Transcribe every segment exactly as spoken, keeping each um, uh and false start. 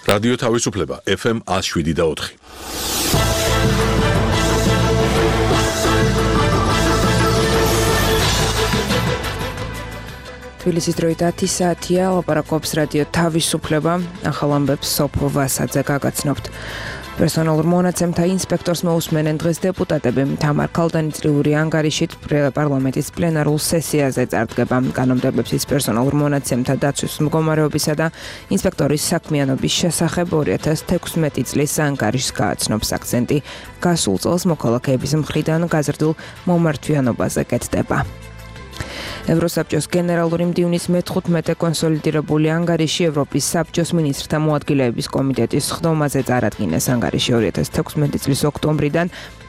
რადიო თავისუფლება ეფ ემ one oh seven და four. თბილისის დროით ათი საათია, ლაპარაკობს რადიო თავისუფლება, ახალ ამბებს სოფო ვასაძე გაგაცნობთ. პერსონალურ მონაცემთა ინსპექტორს მოусმენენ დღეს დეპუტატები. თამარ ქალდანიწრიული ანგარიშით პარლამენტის პლენარულ სესიაზე წარდგება. კანონმდებლებს ის პერსონალურ მონაცემთა დაცვის მდგომარეობისა და ინსპექტორის საქმიანობის შესახებ two thousand sixteen წლის ანგარიშს გააცნობს. აქცენტი გასულ წელს მოქალაქეების მხრიდან გაზრდილ მომართვიანობაზე კეთდება. ევროსაბჭოს გენერალური მდივნის მეთხუთმეტე კონსოლიდირებული ანგარიში ევროპის საბჭოს მინისტრთა მოადგილეების კომიტეტის ხდომაზე წარადგინეს. ანგარიში two thousand sixteen წლის ოქტომბრიდან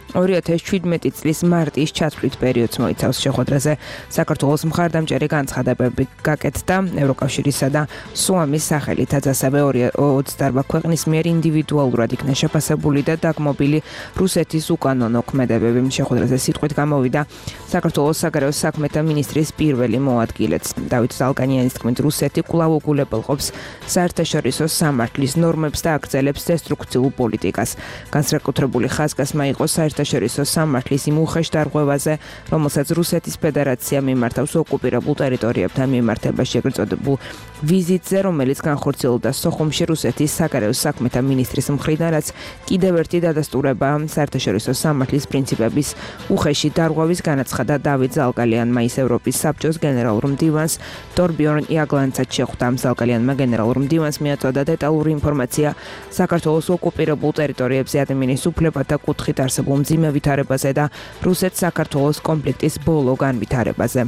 two thousand seventeen წლის მარტის ჩათვლით პერიოდს მოიცავს. შეხვედრაზე საქართველოს მხარდამჭერი განცხადებები გაკეთდა ევროკავშირისა და სუამის სახელითაც, ასევე twenty-eight ქვეყნის მიერ ინდივიდუალურად იქნა შეფასებული და დაგმობილი რუსეთის უკანონო ქმედებები. შეხვედრაზე სიტყვით გამოვიდა საქართველოს საგარეო საქმეთა მინისტრის პირველი მოადგილეც. დავით ზალგანიანის თქმით, რუსეთი კვლავ უგულებელყოფს საერთაშორისო სამართლის ნორმებს და აგრძელებს დესტრუქციულ პოლიტიკას. განსაკუთრებული ხაზგასმა იყო საერთაშორისო სამართლის იმ უხეშ დარღვევაზე, რომელსაც რუსეთის ფედერაცია მიმართავს ოკუპირებულ ტერიტორიებთან მიმართებაში ეგრეთ წოდებულ ვიზიტზე, რომელიც განხორციელდა სოხუმში რუსეთის საგარეო საქმეთა მინისტრის მხრიდან, რაც კიდევ ერთი დადასტურება საერთაშორისო სამართლის პრინციპების უხეში დარღვევის განაცხადა დავით ზალგალიანმა. ის ევროპის საბჭოს გენერალურ მდივანს თორბიორნ იაგლანცად შეხვდა. ზალგალიანმა გენერალურ მდივანს მიაწოდა დეტალური ინფორმაცია საქართველოს ოკუპირებულ ტერიტორიებზე ადამიანის უფლებათა კუთხით არსებულ მძიმე ვითარებაზე და რუსეთ-საქართველოს კონფლიქტის ბოლო განვითარებაზე.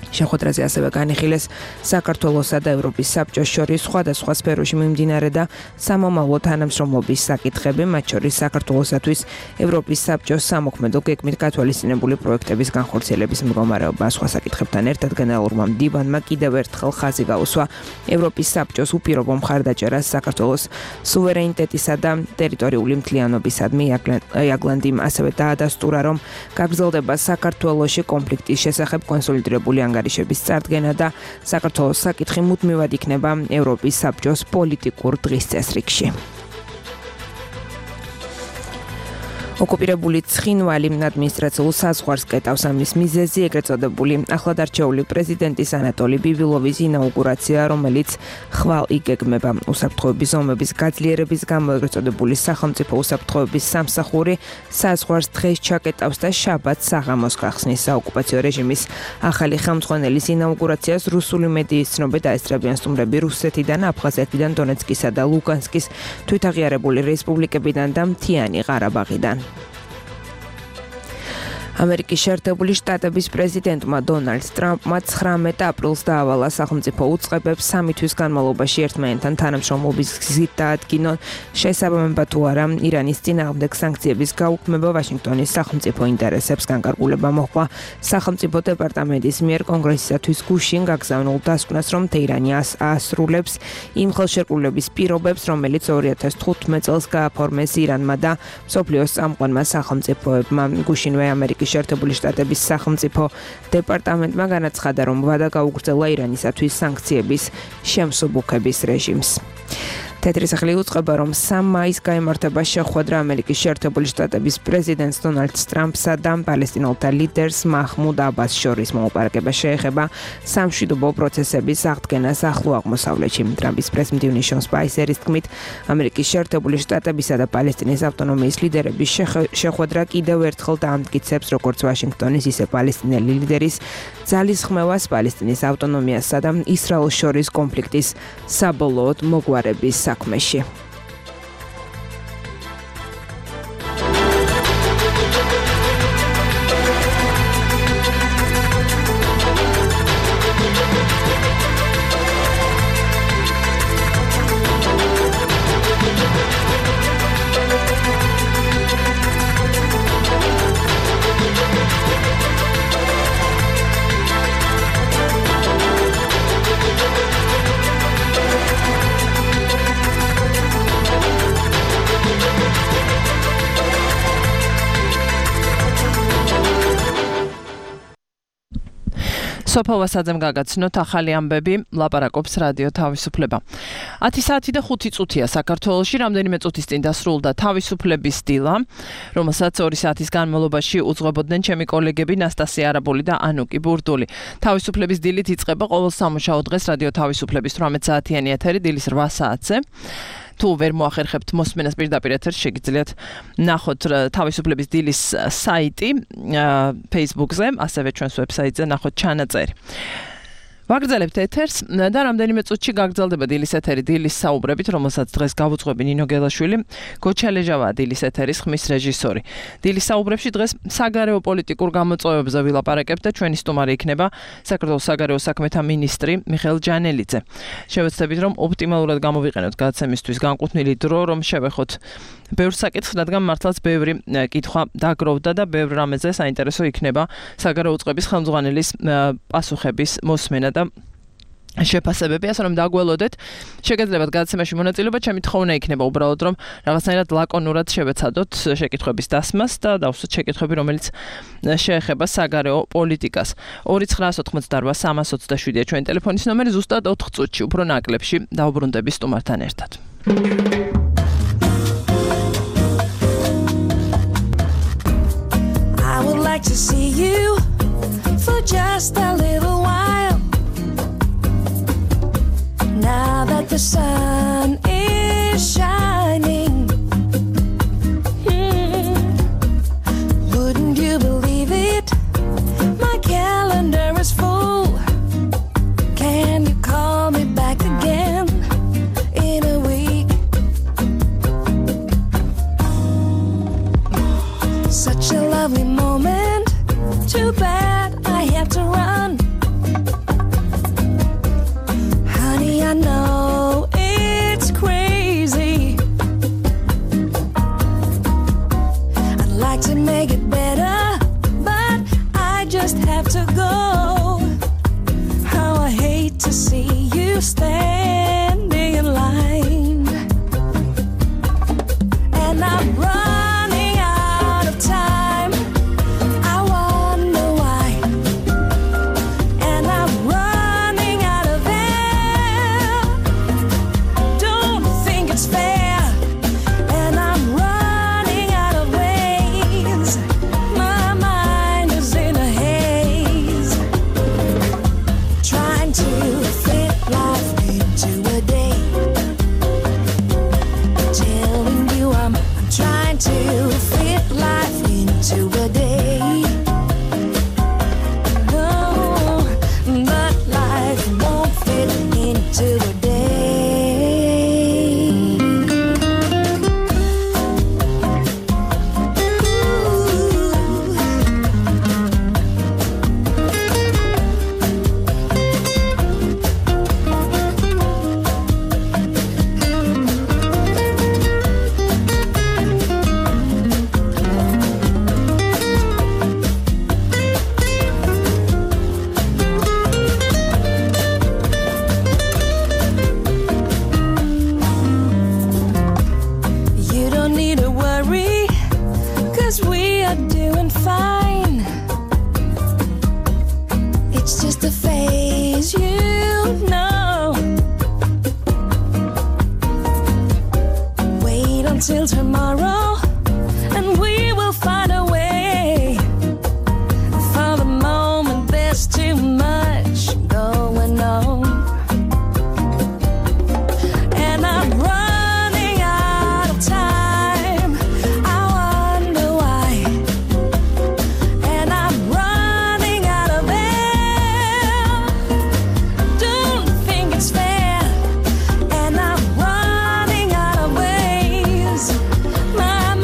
შეხვედრაზე ასევე განიხილეს საქართველოსა და ევროპის საბჭოს შორის სხვადასხვა სფეროში მიმდინარე და სამომავლო თანამშრომლობის საკითხები, მათ შორის საქართველოსათვის ევროპის საბჭოს სამოქმედო გეგმით გათვალისწინებული პროექტების განხორციელების მდგომარეობა. სხვა საკითხებთან ერთად გენერალურმა მდივანმა კიდევ ერთხელ ხაზი გაუსვა ევროპის საბჭოს უპირობო მხარდაჭერას საქართველოს სუვერენიტეტისა და ტერიტორიული მთლიანობისადმი. იაგლანდიმ ასევე დაადასტურა, რომ გაგრძელდება საქართველოში კონფლიქტის შესახებ კონსოლიდირებული ანგარიშების წარდგენა და საქართველოს საკითხი მუდმივად იქნება ევროპის საბჭოს პოლიტიკურ დღის წესრიგში. ოკუპირებული ცხინვალი ადმინისტრაციულ საზღვარს კეტავს. ამის მიზეზი ეგრეთ წოდებული ახლად არჩეული პრეზიდენტის ანატოლი ბიბილოვის ინაუგურაცია, რომელიც ხვალ იგეგმება. უსაფრთხოების ზომების გაძლიერების გამო ეგრეთ წოდებული სახელმწიფო უსაფრთხოების სამსახური საზღვარს დღეს ჩაკეტავს და შაბათს საღამოს გახსნის. საოკუპაციო რეჟიმის ახალი ხელმძღვანელის ინაუგურაციას რუსული მედიის ცნობები დაესწრებიან სტუმრები რუსეთიდან, აფხაზეთიდან, დონეცკისა და ლუგანსკის თვითაღიარებული რესპუბლიკებიდან და მთიანი ყარაბაღიდან. ამერიკის შეერთებული შტატების პრეზიდენტმა დონალდ ტრამპმა ცხრამეტ აპრილს დაავალა სახელმწიფო უწყებებს სამი თვის განმავლობაში ერთმანეთთან თანამშრომლობის გზით დაადგინონ შესაბამება თუ არა ირანის წინააღმდეგ სანქციების გაუქმება ვაშინგტონის სახელმწიფო ინტერესებს. განკარგულება მოჰყვა სახელმწიფო დეპარტამენტის მიერ კონგრესისათვის გუშინ გაგზავნილ დასკვნას, რომ თეირანი აასრულებს იმ ხელშეკრულების პირობებს, რომელიც two thousand fifteen წელს გააფორმეს ირანმა და მსოფლიოს წამყვანმა სახელმწიფოებმა. გუშინვე ამერიკის შეერთებული შტატების სახელმწიფო დეპარტამენტმა განაცხადა, რომ ვადა გაუგრძელა ირანისათვის სანქციების შემსუბუქების რეჟიმს. თეთრი სახლი უწყება, რომ სამ მაისს გაიმართება შეხვედრა ამერიკის შეერთებული შტატების პრეზიდენტს დონალდ ტრამპსა და პალესტინელთა ლიდერს მაჰმუდ აბას შორის. მოლაპარაკება შეეხება სამშვიდობო პროცესების აღდგენას ახლო აღმოსავლეთში. ტრამპის პრესმდივნის შონ სპაისერის თქმით, ამერიკის შეერთებული შტატებისა და პალესტინის ავტონომიის ლიდერების შეხვედრა კიდევ ერთხელ დაამტკიცებს როგორც ვაშინგტონის, ისე პალესტინელი ლიდერის ძალისხმევას პალესტინის ავტონომიასა და ისრაელს შორის კონფლიქტის საბოლოოდ მოგვარების საქმეში. სოფო ვასაძემ გაგაცნოთ ახალი ამბები, ლაპარაკობს რადიო თავისუფლება. ათი საათი და ხუთი წუთია საქართველოში, რამდენიმე წუთის წინ დასრულდა თავისუფლების დილა, რომელსაც ორი საათის განმავლობაში უძღვებოდნენ ჩემი კოლეგები ნასტასია არაბული და ანუკი ბურდული. თავისუფლების დილით იწყება ყოველ სამუშაო დღეს რადიო თავისუფლების თვრამეტ საათიანი ეთერი დილის რვა საათზე. თუ ვერ მოახერხებთ მოსმენას პირდაპირ ეთერს, შეგიძლიათ ნახოთ თავისუფლების დილის საიტი Facebook-ზე, ასევე ჩვენს ვებსაიტზე ნახოთ ჩანაწერი. ვაგრძელებთ ეთერს და რამდენიმე წუთში გაგრძელდება დილის ეთერი დილის საუბრებით, რომელსაც დღეს გავუძღვები ნინო გელაშვილი, გოჩა ლეჟავაა დილის ეთერის ხმის რეჟისორი. დილის საუბრებში დღეს საგარეო პოლიტიკურ გამოწვევებზე ვილაპარაკებთ და ჩვენი სტუმარი იქნება საქართველოს საგარეო საქმეთა მინისტრი მიხეილ ჯანელიძე. შევეცდებით, რომ ოპტიმალურად გამოვიყენოთ გადაცემისთვის განკუთვნილი დრო, რომ შევეხოთ ბევრ საკითხს, რადგან მართლაც ბევრი კითხვა დაგროვდა და ბევრ რამეზე საინტერესო იქნება საგარეო უწყების ხელმძღვანელის პასუხების მოსმენა და შეფასებები, ასე რომ დაგველოდეთ. შეგეძლებათ გადაცემაში მონაწილეობა, ჩემი თხოვნა იქნება უბრალოდ, რომ რაღაცნაირად ლაკონურად შევეცადოთ შეკითხების დასმას და დავსვათ შეკითხები, რომელიც შეეხება საგარეო პოლიტიკას. ორი ცხრა ოთხმოცდა რვა სამას ოცდაშვიდია ჩვენი ტელეფონის ნომერი, ზუსტად ოთხ წუთში, უფრო ნაკლებში დავუბრუნდები სტუმართან ერთად. I would like to see you for just a little while. Now that the sun is shining, hmm. Wouldn't you believe it? My calendar is full. Can you call me back again in a week? Such a lovely moment. Too bad I have to run. Honey, I know it's crazy. I'd like to make it better, but I just have to go. How I hate to see you standing in line. And I'm running out of time. I wonder why. And I'm running out of air. Don't think it's fair. And I'm running out of ways. My mind is in a haze. Trying to fit life into a day. Telling you I'm, I'm trying to fit life into a day. No, but life won't fit into a day. You don't need to worry, 'cause we are doing fine. It's just a phase, you know. Wait until tomorrow, and we will find a way. For the moment, there's too much going on. And I'm running out of time. I wonder why. And I'm running out of air. Don't think it's fair. And I'm running out of ways. My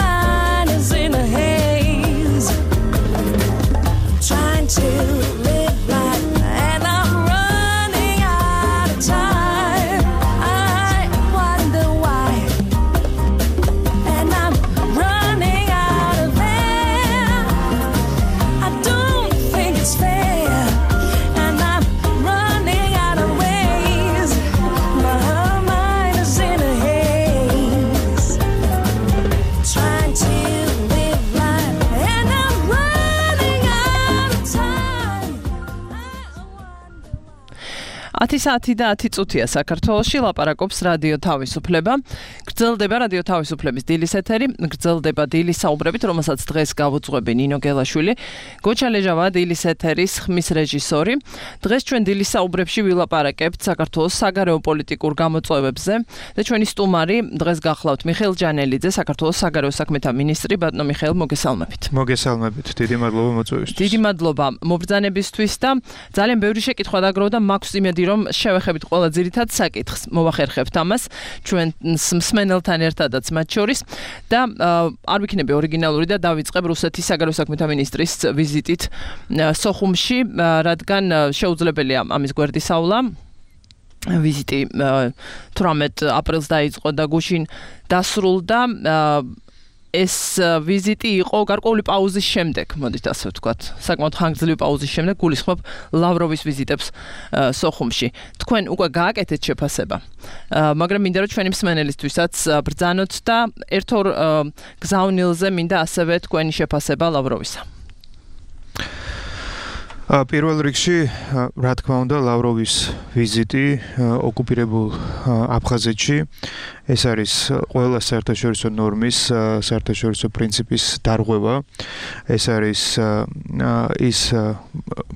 ათი საათი და ათი წუთია საქართველოში ლაპარაკობს რადიო თავისუფლება. გრძელდება რადიო თავისუფლების დილის ეთერი, გრძელდება დილის საუბრებით, რომელსაც დღეს გავუძღვები ნინო გელაშვილი. გოჩა ლეჟავა დილის ეთერის ხმის რეჟისორი. დღეს ჩვენ დილის საუბრებში ვილაპარაკებთ საქართველოს საგარეო პოლიტიკურ გამოწვევებზე და ჩვენი სტუმარი დღეს გახლავთ მიხეილ ჯანელიძე, საქართველოს საგარეო საქმეთა მინისტრი. ბატონო მიხეილ, მოგესალმებით. მოგესალმებით. დიდი მადლობა მოწვევისთვის. დიდი მადლობა მობრძანებისთვის და ძალიან ბევრი შეკითხვა დაგროვდა, მაქვს იმედი რომ შევეხებით ყველა ძირითად საკითხს, მოვახერხებთ ამას ჩვენ მსმენელთან ერთადაც მათ შორის და არ ვიქნები ორიგინალური და დავიწყებ რუსეთის საგარეო საქმეთა მინისტრის ვიზიტით სოხუმში, რადგან შეუძლებელია ამის გვერდისავლა. ვიზიტი თვრამეტ აპრილს დაიწყო და გუშინ დასრულდა. ეს ვიზიტი იყო გარკვეული პაუზის შემდეგ, მოდით ასე ვთქვათ. საკმაოდ ხანგრძლივი პაუზის შემდეგ გულისხმობ ლავროვის ვიზიტებს სოხუმში. თქვენ უკვე გააკეთეთ შეფასება. მაგრამ მინდა რომ ჩვენი მსმენელისთვისაც ბრძანოთ და ერთ-ორ გზავნილზე მინდა ასევე თქვენი შეფასება ლავროვისა. პირველ რიგში, რა თქმა უნდა, ლავროვის ვიზიტი ოკუპირებულ აფხაზეთში ეს არის ყველა საერთაშორისო ნორმის, საერთაშორისო პრინციპის დარღვევა. ეს არის ის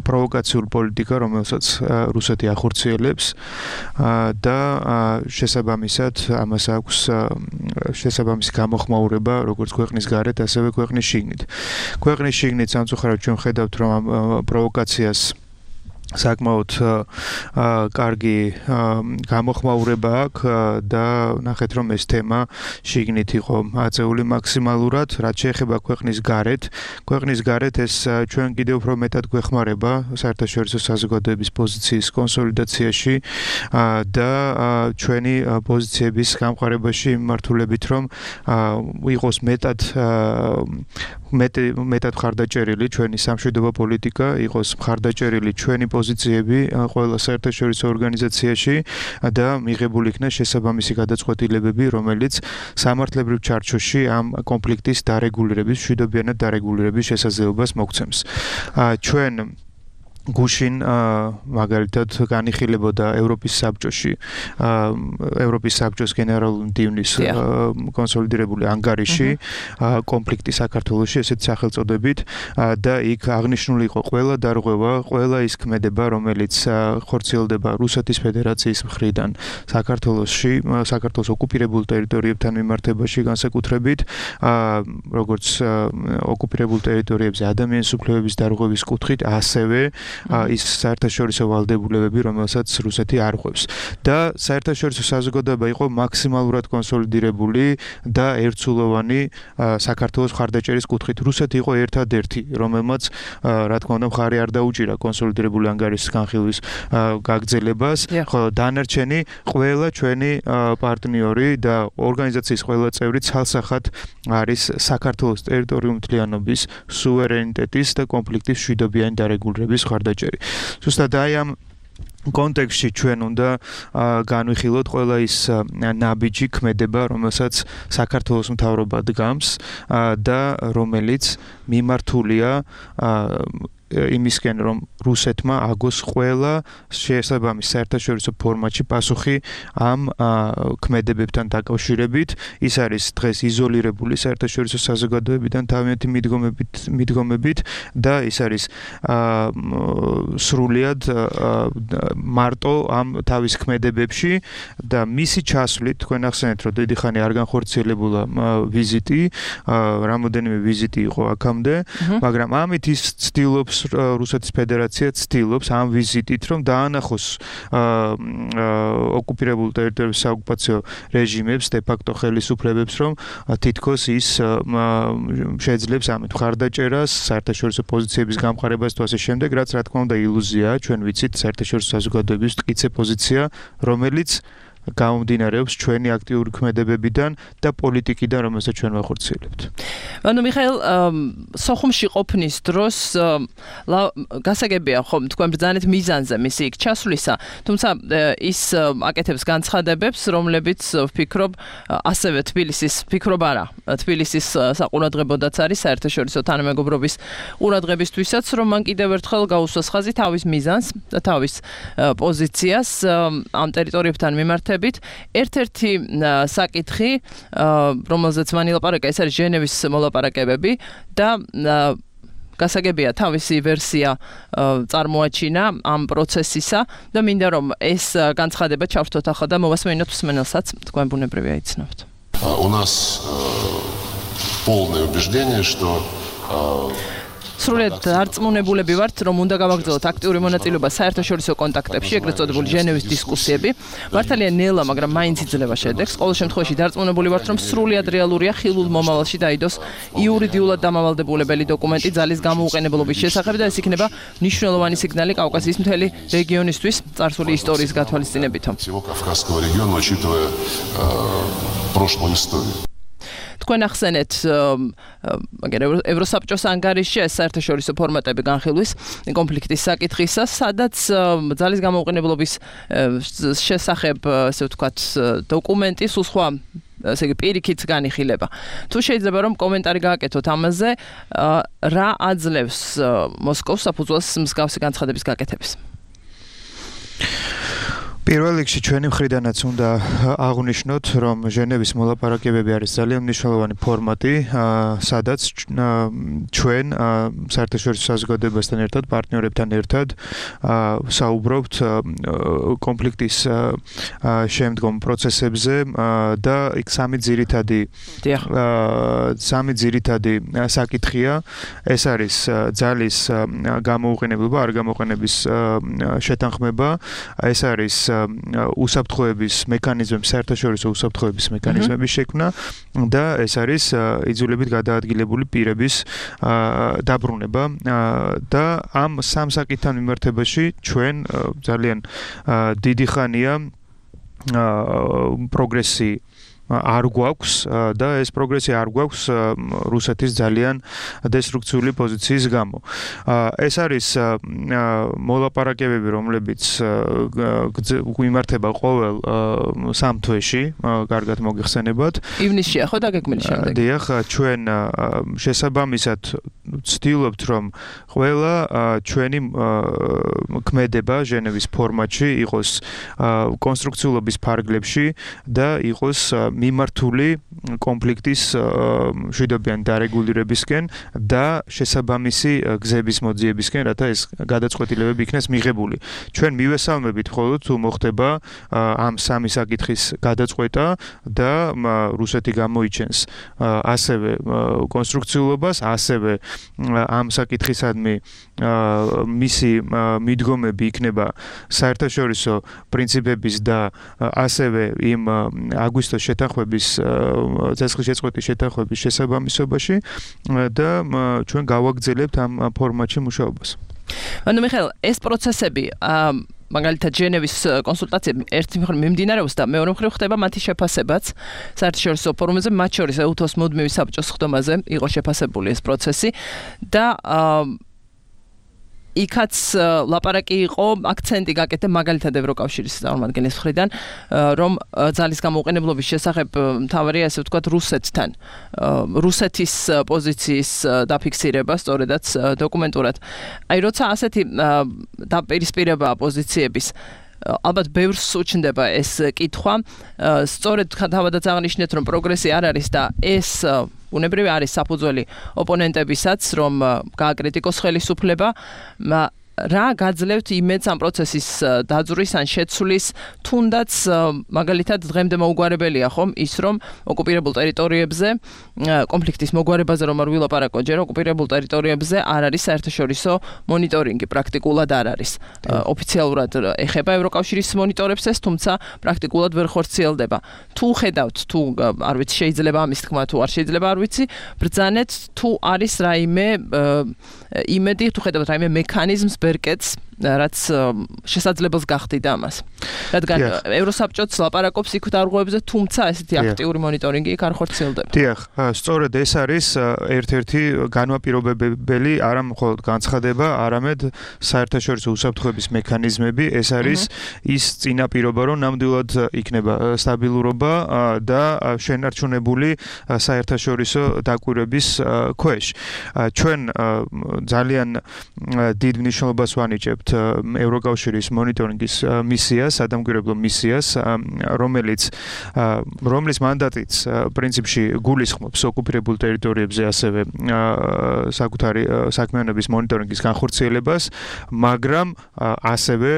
პროვოკაციული პოლიტიკა, რომელსაც რუსეთი ახორციელებს და შესაბამისად ამას აქვს შესაბამისი გამოხმაურება როგორც ქვეყნის გარეთ, ასევე ქვეყნის შიგნით. ქვეყნის შიგნით სამწუხაროდ ჩვენ ხედავთ, რომ ამ პროვოკაციას საკმაოდ კარგი გამოხმაურება აქვს და ნახეთ რომ ეს თემა შიგნით იყო აწეული მაქსიმალურად, რაც შეეხება ქვეყნის გარეთ. ქვეყნის გარეთ ეს ჩვენ კიდევ უფრო მეტად გვეხმარება საერთაშორისო საზოგადოების პოზიციის კონსოლიდაციაში და ჩვენი პოზიციების გამყარებაში მიმართულებით, რომ იყოს მეტად მეტად მხარდაჭერილი ჩვენი სამშვიდობო პოლიტიკა, იყოს მხარდაჭერილი ჩვენი პოზიციები ყველა საერთაშორისო ორგანიზაციაში და მიღებული იქნა შესაბამისი გადაწყვეტილებები, რომელიც სამართლებრივ ჩარჩოში ამ კონფლიქტის დარეგულირების, მშვიდობიანად დარეგულირების შესაძლებლობას მოგცემს. ჩვენ გუშინ მაგალითად განიხილებოდა ევროპის საბჭოში ევროპის საბჭოს გენერალური მდივნის კონსოლიდირებული ანგარიში კონფლიქტი საქართველოში ესეთ სახელწოდებით და იქ აღნიშნული იყო ყველა დარღვევა, ყველა ის ქმედება, რომელიც ხორციელდება რუსეთის ფედერაციის მხრიდან საქართველოში, საქართველოს ოკუპირებულ ტერიტორიებთან მიმართებაში განსაკუთრებით, როგორც ოკუპირებულ ტერიტორიებზე ადამიანის უფლებების დარღვევის კუთხით, ასევე ის საერთაშორისო ვალდებულებები, რომელსაც რუსეთი არ ხვევს. და საერთაშორისო საზოგადოება იყო მაქსიმალურად კონსოლიდირებული და ერთსულოვანი საქართველოს მხარდაჭერის კუთხით. რუსეთი იყო ერთადერთი, რომელმაც რა თქმა უნდა მხარი არ დაუჭირა კონსოლიდირებული ანგარიშის განხილვის გაგრძელებას, ხოლო დანარჩენი ყველა ჩვენი პარტნიორი და ორგანიზაციის ყველა წევრი ცალსახად არის საქართველოს ტერიტორიული მთლიანობის, სუვერენიტეტის და კონფლიქტის მშვიდობიანი დარეგულირების მხარდაჭერი. ზუსტად აი ამ კონტექსტში ჩვენ უნდა განვიხილოთ ყველა ის ნაბიჯი ქმედება, რომელსაც საქართველოს მთავრობა დგამს და რომელიც მიმართულია იმისკენ, რომ რუსეთმა აგოს ყველა შესაბამის საერთაშორისო ფორმატში პასუხი ამ ქმედებებთან დაკავშირებით. ის არის დღეს იზოლირებული საერთაშორისო საზოგადოებიდან თავიანთი მიდგომებით, მიდგომებით და ის არის სრულიად მარტო ამ თავის ქმედებებში და მისი ჩასვლით, თქვენ ახსენეთ, რომ დიდი ხანი არ განხორციელებულა ვიზიტი, რამოდენიმე ვიზიტი იყო აქამდე, მაგრამ ამით ის ცდილობს რუსეთის ფედერაცია ცდილობს ამ ვიზიტით რომ დაანახოს ოკუპირებულ ტერიტორიების საოკუპაციო რეჟიმებს, დე-ფაქტო ხელისუფლებებს, რომ თითქოს ის შეძლებს ამით მხარდაჭერას, საერთაშორისო პოზიციების გამყარებას თუ ასე შემდეგ, რაც რა თქმა უნდა ილუზიაა, ჩვენ ვიცით საერთაშორისო საზოგადოების მტკიცე პოზიცია, რომელიც გამომდინარეობს ჩვენი აქტიური ქმედებებიდან და პოლიტიკიდან, რომელსაც ჩვენ ვახორციელებთ. ანუ მიხაილ, სოხუმში ყოფნის დროს გასაგებია ხომ თქვენ ბრძანეთ მიზანზე მისი იქ ჩასვლისა, თუმცა ის აკეთებს განცხადებებს, რომლებიც ვფიქრობ ასევე თბილისის, ვფიქრობ არა, თბილისის საყურადღებოდაც არის საერთაშორისო თანამეგობრობის ყურადღებისთვისაც, რომ მან კიდევ ერთხელ გაუსვას ხაზი თავის მიზანს და თავის პოზიციას ამ ტერიტორიებთან მიმართებით. ერთ-ერთი საკითხი, რომელზეც მან ილაპარაკა, ეს არის ჟენევის მოლაპარაკებები და გასაგებია თავისი ვერსია წარმოაჩინა ამ პროცესისა და მინდა რომ ეს განცხადება ჩავრთოთ ახლა და მოვასმენოთ მსმენელსაც, თქვენ ბუნებრივია იცნობთ. У нас полное убеждение, что სრულად არწმუნებულები ვართ, რომ უნდა გავაგრძელოთ აქტიური მონაწილეობა საერთაშორისო კონტაქტებში, ეგრეთ წოდებული ჟენევის დისკუსიები. მართალია ნელა, მაგრამ მაინც იძლევა შედეგს. ყოველ შემთხვევაში დარწმუნებული ვართ, რომ სრულად რეალურია ხილულ მომავალში დაიდოს იურიდიულად დამავალდებულებელი დოკუმენტი ძალის გამოუყენებლობის შესახებ და ეს იქნება მნიშვნელოვანი სიგნალი კავკასიის მთელი რეგიონისთვის წარსული ისტორიის გათვალისწინებითო. всего Кавказского региона, учитывая прошлую историю. თქვენ ახსენეთ მაგერ ევროსაბჭოს ანგარიშში ეს საერთაშორისო ფორმატები განხილვის კონფლიქტის საკითხისა, სადაც ძალის გამოუყენებლობის შესახებ, ასე ვთქვათ, დოკუმენტი სულ სხვა, ესე იგი, პირიქით განიხილება. თუ შეიძლება რომ კომენტარი გააკეთოთ ამაზე, რა აძლევს მოსკოვს საფუძველს მსგავსი განცხადების გაკეთების? პირველ რიგში ჩვენი მხრიდანაც უნდა აღვნიშნოთ, რომ ჟენევის მოლაპარაკებები არის ძალიან მნიშვნელოვანი ფორმატი, სადაც ჩვენ საერთაშორისო საზოგადოებასთან ერთად, პარტნიორებთან ერთად საუბრობთ კონფლიქტის შემდგომ პროცესებზე და იქ სამი ძირითადი სამი ძირითადი საკითხია. ეს არის ძალის გამოუყენებლობა, არ გამოყენების შეთანხმება, ეს არის უსაფრთხოების მექანიზმები, საერთაშორისო უსაფრთხოების მექანიზმების შექმნა და ეს არის იძულებით გადაადგილებული პირების დაბრუნება და ამ სამ საკითხთან მიმართებაში ჩვენ ძალიან დიდი ხანია პროგრესი არ გვაქვს და ეს პროგრესი არ გვაქვს რუსეთის ძალიან დესტრუქციული პოზიციის გამო. ეს არის მოლაპარაკებები, რომლებიც გვიმართება ყოველ სამ თვეში, კარგად მოგეხსენებათ. ივნისშია ხო დაგეგმილი შემდეგ? დიახ, ჩვენ შესაბამისად ვცდილობთ, რომ ყველა ჩვენი ქმედება ჟენევის ფორმატში იყოს კონსტრუქციულობის ფარგლებში და იყოს მიმართული კონფლიქტის მშვიდობიანი დარეგულირებისკენ და შესაბამისი გზების მოძიებისკენ, რათა ეს გადაწყვეტილებები იქნეს მიღებული. ჩვენ მივესალმებით მხოლოდ თუ მოხდება ამ სამი საკითხის გადაწყვეტა და რუსეთი გამოიჩენს ასევე კონსტრუქციულობას, ასევე ამ საკითხისადმი მისი მიდგომები იქნება საერთაშორისო პრინციპების და ასევე იმ აგვისტოს შეთანხმების ცეცხლის შეწყვეტის შეთანხმების შესაბამისობაში და ჩვენ გავაგრძელებთ ამ ფორმატში მუშაობას. ანუ მიხეილ, ეს პროცესები მაგალითად ჟენევის კონსულტაციები ერთი მხრივ მიმდინარეობს და მეორე მხრივ ხდება მათი შეფასებაც საერთაშორისო ფორუმებზე, მათ შორის ეუთოს მუდმივი საბჭოს ხდომაზე იყო შეფასებული ეს პროცესი და იქაც ლაპარაკი იყო, აქცენტი გაკეთდა მაგალითად ევროკავშირის წარმომადგენლის მხრიდან, რომ ძალის გამოუყენებლობის შესახებ მთავარია, ასე ვთქვათ, რუსეთთან, რუსეთის პოზიციის დაფიქსირება სწორედაც დოკუმენტურად. აი, როცა ასეთი დაპირისპირება პოზიციების ალბათ ბევრს უჩნდება ეს კითხვა, სწორედ თავადაც აღნიშნეთ, რომ პროგრესი არ არის და ეს უნებრივი არის საფუძველი ოპონენტებისაც, რომ გააკრიტიკოს ხელისუფლება, რა გაძლევთ იმედს ამ პროცესის დაძვრის ან შეცვლის, თუნდაც მაგალითად დღემდე მოუგვარებელია ხომ ის, რომ ოკუპირებულ ტერიტორიებზე კონფლიქტის მოგვარებაზე რომ არ ვილაპარაკო ჯერ, ოკუპირებულ ტერიტორიებზე არ არის საერთაშორისო მონიტორინგი, პრაქტიკულად არ არის. ოფიციალურად ეხება ევროკავშირის მონიტორებს ეს, თუმცა პრაქტიკულად ვერ ხორციელდება. თუ ხედავთ, თუ არ ვიცი, შეიძლება ამის თქმა, თუ არ შეიძლება არ ვიცი, ბრძანეთ თუ არის რაიმე იმედი, თუ ხედავთ რაიმე მექანიზმს ბერკეტს რაც შესაძლებელს გახდიდა ამას. რადგან ევროსაბჭოც ლაპარაკობს იქ დარღვევებზე, თუმცა ესეთი აქტიური მონიტორინგი იქ არ ხორციელდება. დიახ, სწორედ ეს არის ერთ-ერთი განმაპირობებელი არა მხოლოდ განცხადება, არამედ საერთაშორისო უსაფრთხოების მექანიზმები, ეს არის ის წინაპირობა, რომ ნამდვილად იქნება სტაბილურობა და შენარჩუნებული საერთაშორისო დაკვირვების ქვეშ. ჩვენ ძალიან დიდ მნიშვნელობას ვანიჭებთ ევროკავშირის მონიტორინგის მისიას, სადამკვირვებლო მისიას, რომელიც რომლის მანდატიც პრინციპში გულისხმობს ოკუპირებულ ტერიტორიებზე ასევე საკუთარი საქმიანობის მონიტორინგის განხორციელებას, მაგრამ ასევე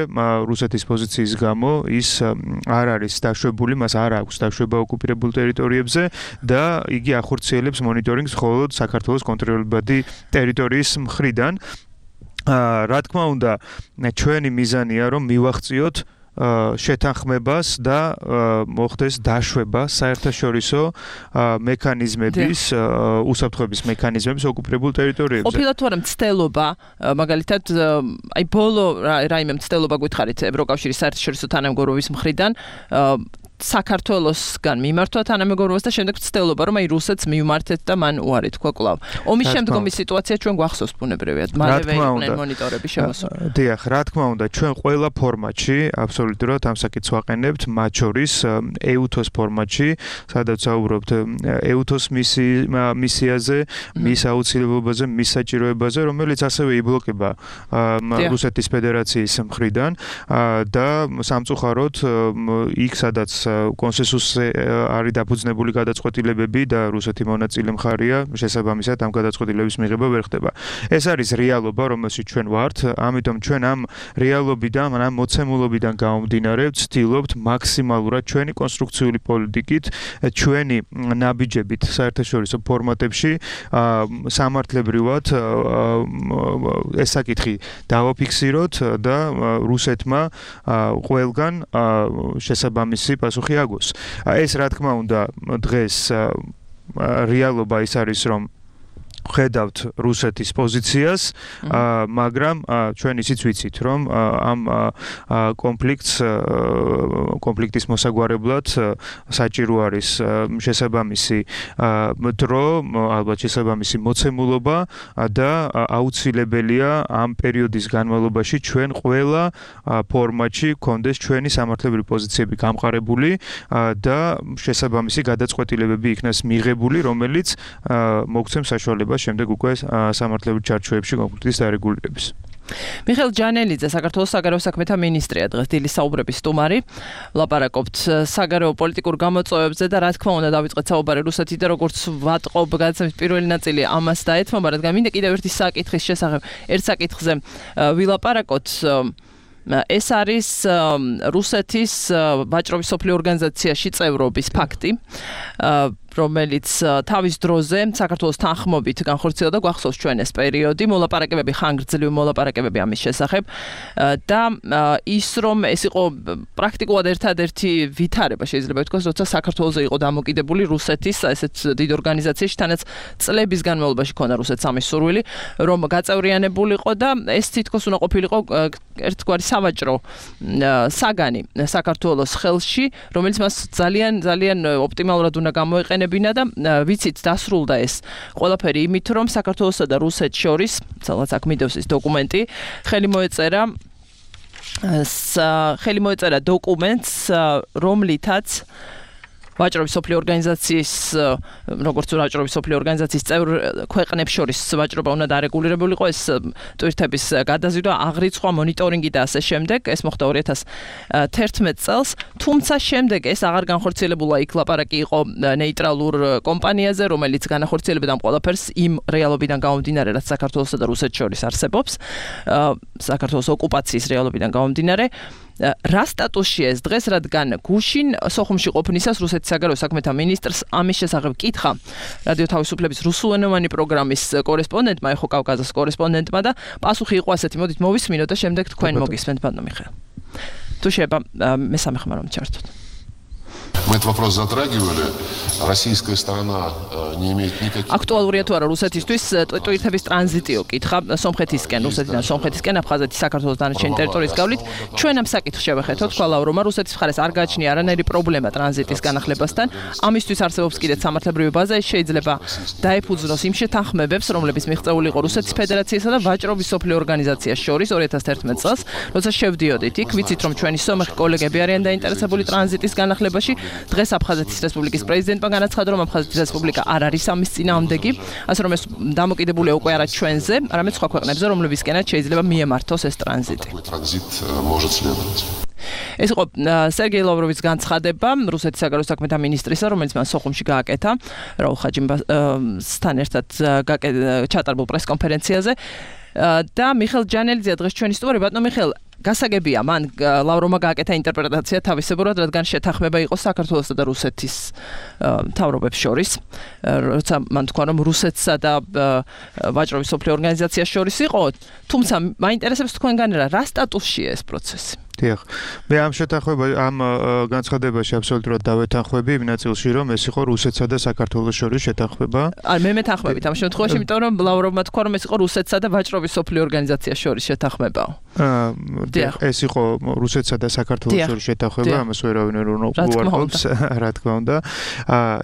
რუსეთის პოზიციის გამო ის არ არის დაშვებული, მას არ აქვს დაშვება ოკუპირებულ ტერიტორიებზე და იგი ახორციელებს მონიტორინგს მხოლოდ საქართველოს კონტროლებადი ტერიტორიის მხრიდან. რა თქმა უნდა, ჩვენი მიზანია რომ მივახციოთ შეთანხმებას და მოხდეს დაშვება საერთაშორისო მექანიზმების, უსაფრთხოების მექანიზმების ოკუპირებულ ტერიტორიებზე. ყოფილა თუ არა მცდელობა, მაგალითად, აი ბოლო რაიმე მცდელობა გითხარით ევროკავშირის საერთაშორისო თანამეგობრობის მხრიდან საქართველოსგან მიმართვა თანამეგობრობას და შემდეგ ცდილობა რომ აი რუსეთს მივმართეთ და მან უარი თქვა კვლავ. ომის შემდგომი სიტუაცია ჩვენ გვახსოვს ბუნებრივად, მალევე იყვნენ მონიტორები შემოსული. დიახ, რა თქმა უნდა, ჩვენ ყველა ფორმატში აბსოლუტურად ამ საკითხს ვაყენებთ, მათ შორის ეუთოს ფორმატში, სადაც საუბრობთ ეუთოს მისიაზე, მის აუცილებლობაზე, მის საჭიროებაზე, რომელიც ასევე იბლოკება რუსეთის ფედერაციის მხრიდან და სამწუხაროდ იქ სადაც კონსენსუსზე არის დაფუძნებული გადაწყვეტილებები და რუსეთი მონაწილე მხარია, შესაბამისად ამ გადაწყვეტილების მიღება ვერ ხდება. ეს არის რეალობა, რომელშიც ჩვენ ვართ, ამიტომ ჩვენ ამ რეალობიდან, ამ მოცემულობიდან გამომდინარე, ვცდილობთ მაქსიმალურად ჩვენი კონსტრუქციული პოლიტიკით, ჩვენი ნაბიჯებით საერთაშორისო ფორმატებში სამართლებრივად ეს საკითხი დავაფიქსიროთ და რუსეთმა ყველგან შესაბამისი პასუხი აგოს. ეს რა თქმა უნდა დღეს რეალობა ის არის რომ ხედავთ რუსეთის პოზიციას, მაგრამ ჩვენ ისიც ვიცით, რომ ამ კონფლიქტს კონფლიქტის მოსაგვარებლად საჭირო არის შესაბამისი დრო, ალბათ შესაბამისი მოცემულობა და აუცილებელია ამ პერიოდის განმავლობაში ჩვენ ყველა ფორმატში გქონდეს ჩვენი სამართლებრივი პოზიციები გამყარებული და შესაბამისი გადაწყვეტილებები იქნას მიღებული, რომელიც მოგცემს საშუალებას შემდეგ უკვე სამართლებრივ ჩარჩოებში კონფლიქტის დარეგულირების. მიხეილ ჯანელიძე, საქართველოს საგარეო საქმეთა მინისტრია, დღეს დილის საუბრების სტუმარი. ვლაპარაკობთ საგარეო პოლიტიკურ გამოწვევებზე და რა თქმა უნდა დავიწყეთ საუბარი რუსეთით და როგორც ვატყობ გადაცემის პირველი ნაწილი ამას დაეთმობა, რადგან მინდა კიდევ ერთი საკითხის შესახებ, ერთ საკითხზე ვილაპარაკოთ. ეს არის რუსეთის ვაჭრობის სოფლიო ორგანიზაციაში წევრობის ფაქტი, რომელიც თავის დროზე საქართველოს თანხმობით განხორციელდა, გვახსოვს ჩვენ ეს პერიოდი, მოლაპარაკებები, ხანგრძლივი მოლაპარაკებები ამის შესახებ და ის რომ ეს იყო პრაქტიკულად ერთადერთი ვითარება, შეიძლება ვთქვას, როცა საქართველოზე იყო დამოკიდებული რუსეთის ესეთ დიდ ორგანიზაციაში, თანაც წლების განმავლობაში ქონდა რუსეთს ამის სურვილი, რომ გაწევრიანებულიყო და ეს თითქოს უნდა ყოფილიყო ერთგვარი სავაჭრო საგანი საქართველოს ხელში, რომელიც მას ძალიან ძალიან ოპტიმალურად უნდა გამოეყენა და ვიცით დასრულდა ეს ყველაფერი იმით რომ საქართველოსა და რუსეთს შორის, სადაც აქ მიდევს ის დოკუმენტი, ხელი მოეწერა ხელი მოეწერა დოკუმენტს, რომლითაც ვაჭრობის სოფლიო ორგანიზაციის, როგორც ვაჭრობის სოფლიო ორგანიზაციის წევრ ქვეყნებს შორის ვაჭრობა უნდა დარეგულირებულიყო, ეს ტვირთების გადაზიდვა, აღრიცხვა, მონიტორინგი და ასე შემდეგ, ეს მოხდა ორი ათას თერთმეტ წელს, თუმცა შემდეგ ეს აღარ განხორციელებულა, იქ ლაპარაკი იყო ნეიტრალურ კომპანიაზე, რომელიც განახორციელებდა ამ ყველაფერს იმ რეალობიდან გამომდინარე, რაც საქართველოსა და რუსეთს შორის არსებობს, საქართველოს ოკუპაციის რეალობიდან გამომდინარე. რა სტატუსია ეს დღეს, რადგან გუშინ სოხუმში ყოფნისას რუსეთის საგარეო საქმეთა მინისტრს ამის შესახებ კითხა რადიო თავისუფლების რუსულენოვანი პროგრამის კორესპონდენტმა, ეხო კავკასიის კორესპონდენტმა და პასუხი იყო ასეთი, მოდით მოვისმინოთ და შემდეგ თქვენ მოგისმენთ, ბატონო მიხეილ. თუ შეიძლება მესამე ხმა რომ ჩართოთ. Мы этот вопрос затрагивали. Российская сторона не имеет никаких... Актуალურია თუ არა რუსეთისთვის ტვირთების ტრანზიტი უკითხა სომხეთისკენ, რუსეთიდან სომხეთისკენ, აფხაზეთის, საქართველოს დანარჩენი ტერიტორიის გავლით. ჩვენ ამ საკითხს შევეხეთოთ, თქვა ლავროვმა, რუსეთის მხარეს არ გააჩნია არანაირი პრობლემა ტრანზიტის განახლებასთან. ამისთვის არსებობს კიდეც სამართლებრივი ბაზა, ის შეიძლება დაეფუძნოს იმ შეთანხმებებს, რომლებიც მიღწეული იყო რუსეთის ფედერაციასა და ვაჭრობის სოფლიო ორგანიზაციას შორის ორი ათას ერთმეტ წელს, როცა შევდიოდით იქ, ვიცით რომ ჩვენი სომეხი კოლეგები არიან დაინტერესებული ტრანზიტის განახლებაში. დღეს აფხაზეთის რესპუბლიკის პრეზიდენტმა განაცხადა, რომ აფხაზეთის რესპუბლიკა არ არის ამის წინააღმდეგი, ასე რომ ეს დამოკიდებულია უკვე არა ჩვენზე, არამედ სხვა ქვეყნებზე, რომლებისკენაც შეიძლება მიემართოს ეს ტრანზიტი. Транзит может следовать. ეს იყო სერგეი ლავროვის განცხადება რუსეთის საგარეო საქმეთა მინისტრისა, რომელიც მან სოხუმში გააკეთა რაულ ხაჯიმბასთან ერთად ჩატარებულ პრესკონფერენციაზე და მიხელ ჯანელიძე დღეს ჩვენი სტუმარი. ბატონო მიხელ, გასაგებია, მან ლავროვმა გააკეთა ინტერპრეტაცია თავისებურად, რადგან შეთანხმება იყო საქართველოსა და რუსეთის მთავრობებს შორის, როცა მან თქვა, რომ რუსეთსა და ვაჭრობის სოფლიო ორგანიზაციას შორის იყო, თუმცა მაინტერესებს თქვენგან რა სტატუსშია ეს პროცესი. დიახ. მე ამ შეთანხმება ამ განცხადებაში აბსოლუტურად დავეთანხმები იმ ნაწილში, რომ ეს იყო რუსეთსა და საქართველოს შორის შეთანხმება. არ მე მეთანხმებით ამ შემთხვევაში, იმიტომ რომ ლავროვმა თქვა, რომ ეს იყო რუსეთსა და ვაჭრობის სოფლიო ორგანიზაციას შორის შეთანხმება. დიახ, ეს იყო რუსეთსა და საქართველოს შორის შეთანხმება, ამას ვერავინ ვერ უარყოფს, რა თქმა უნდა.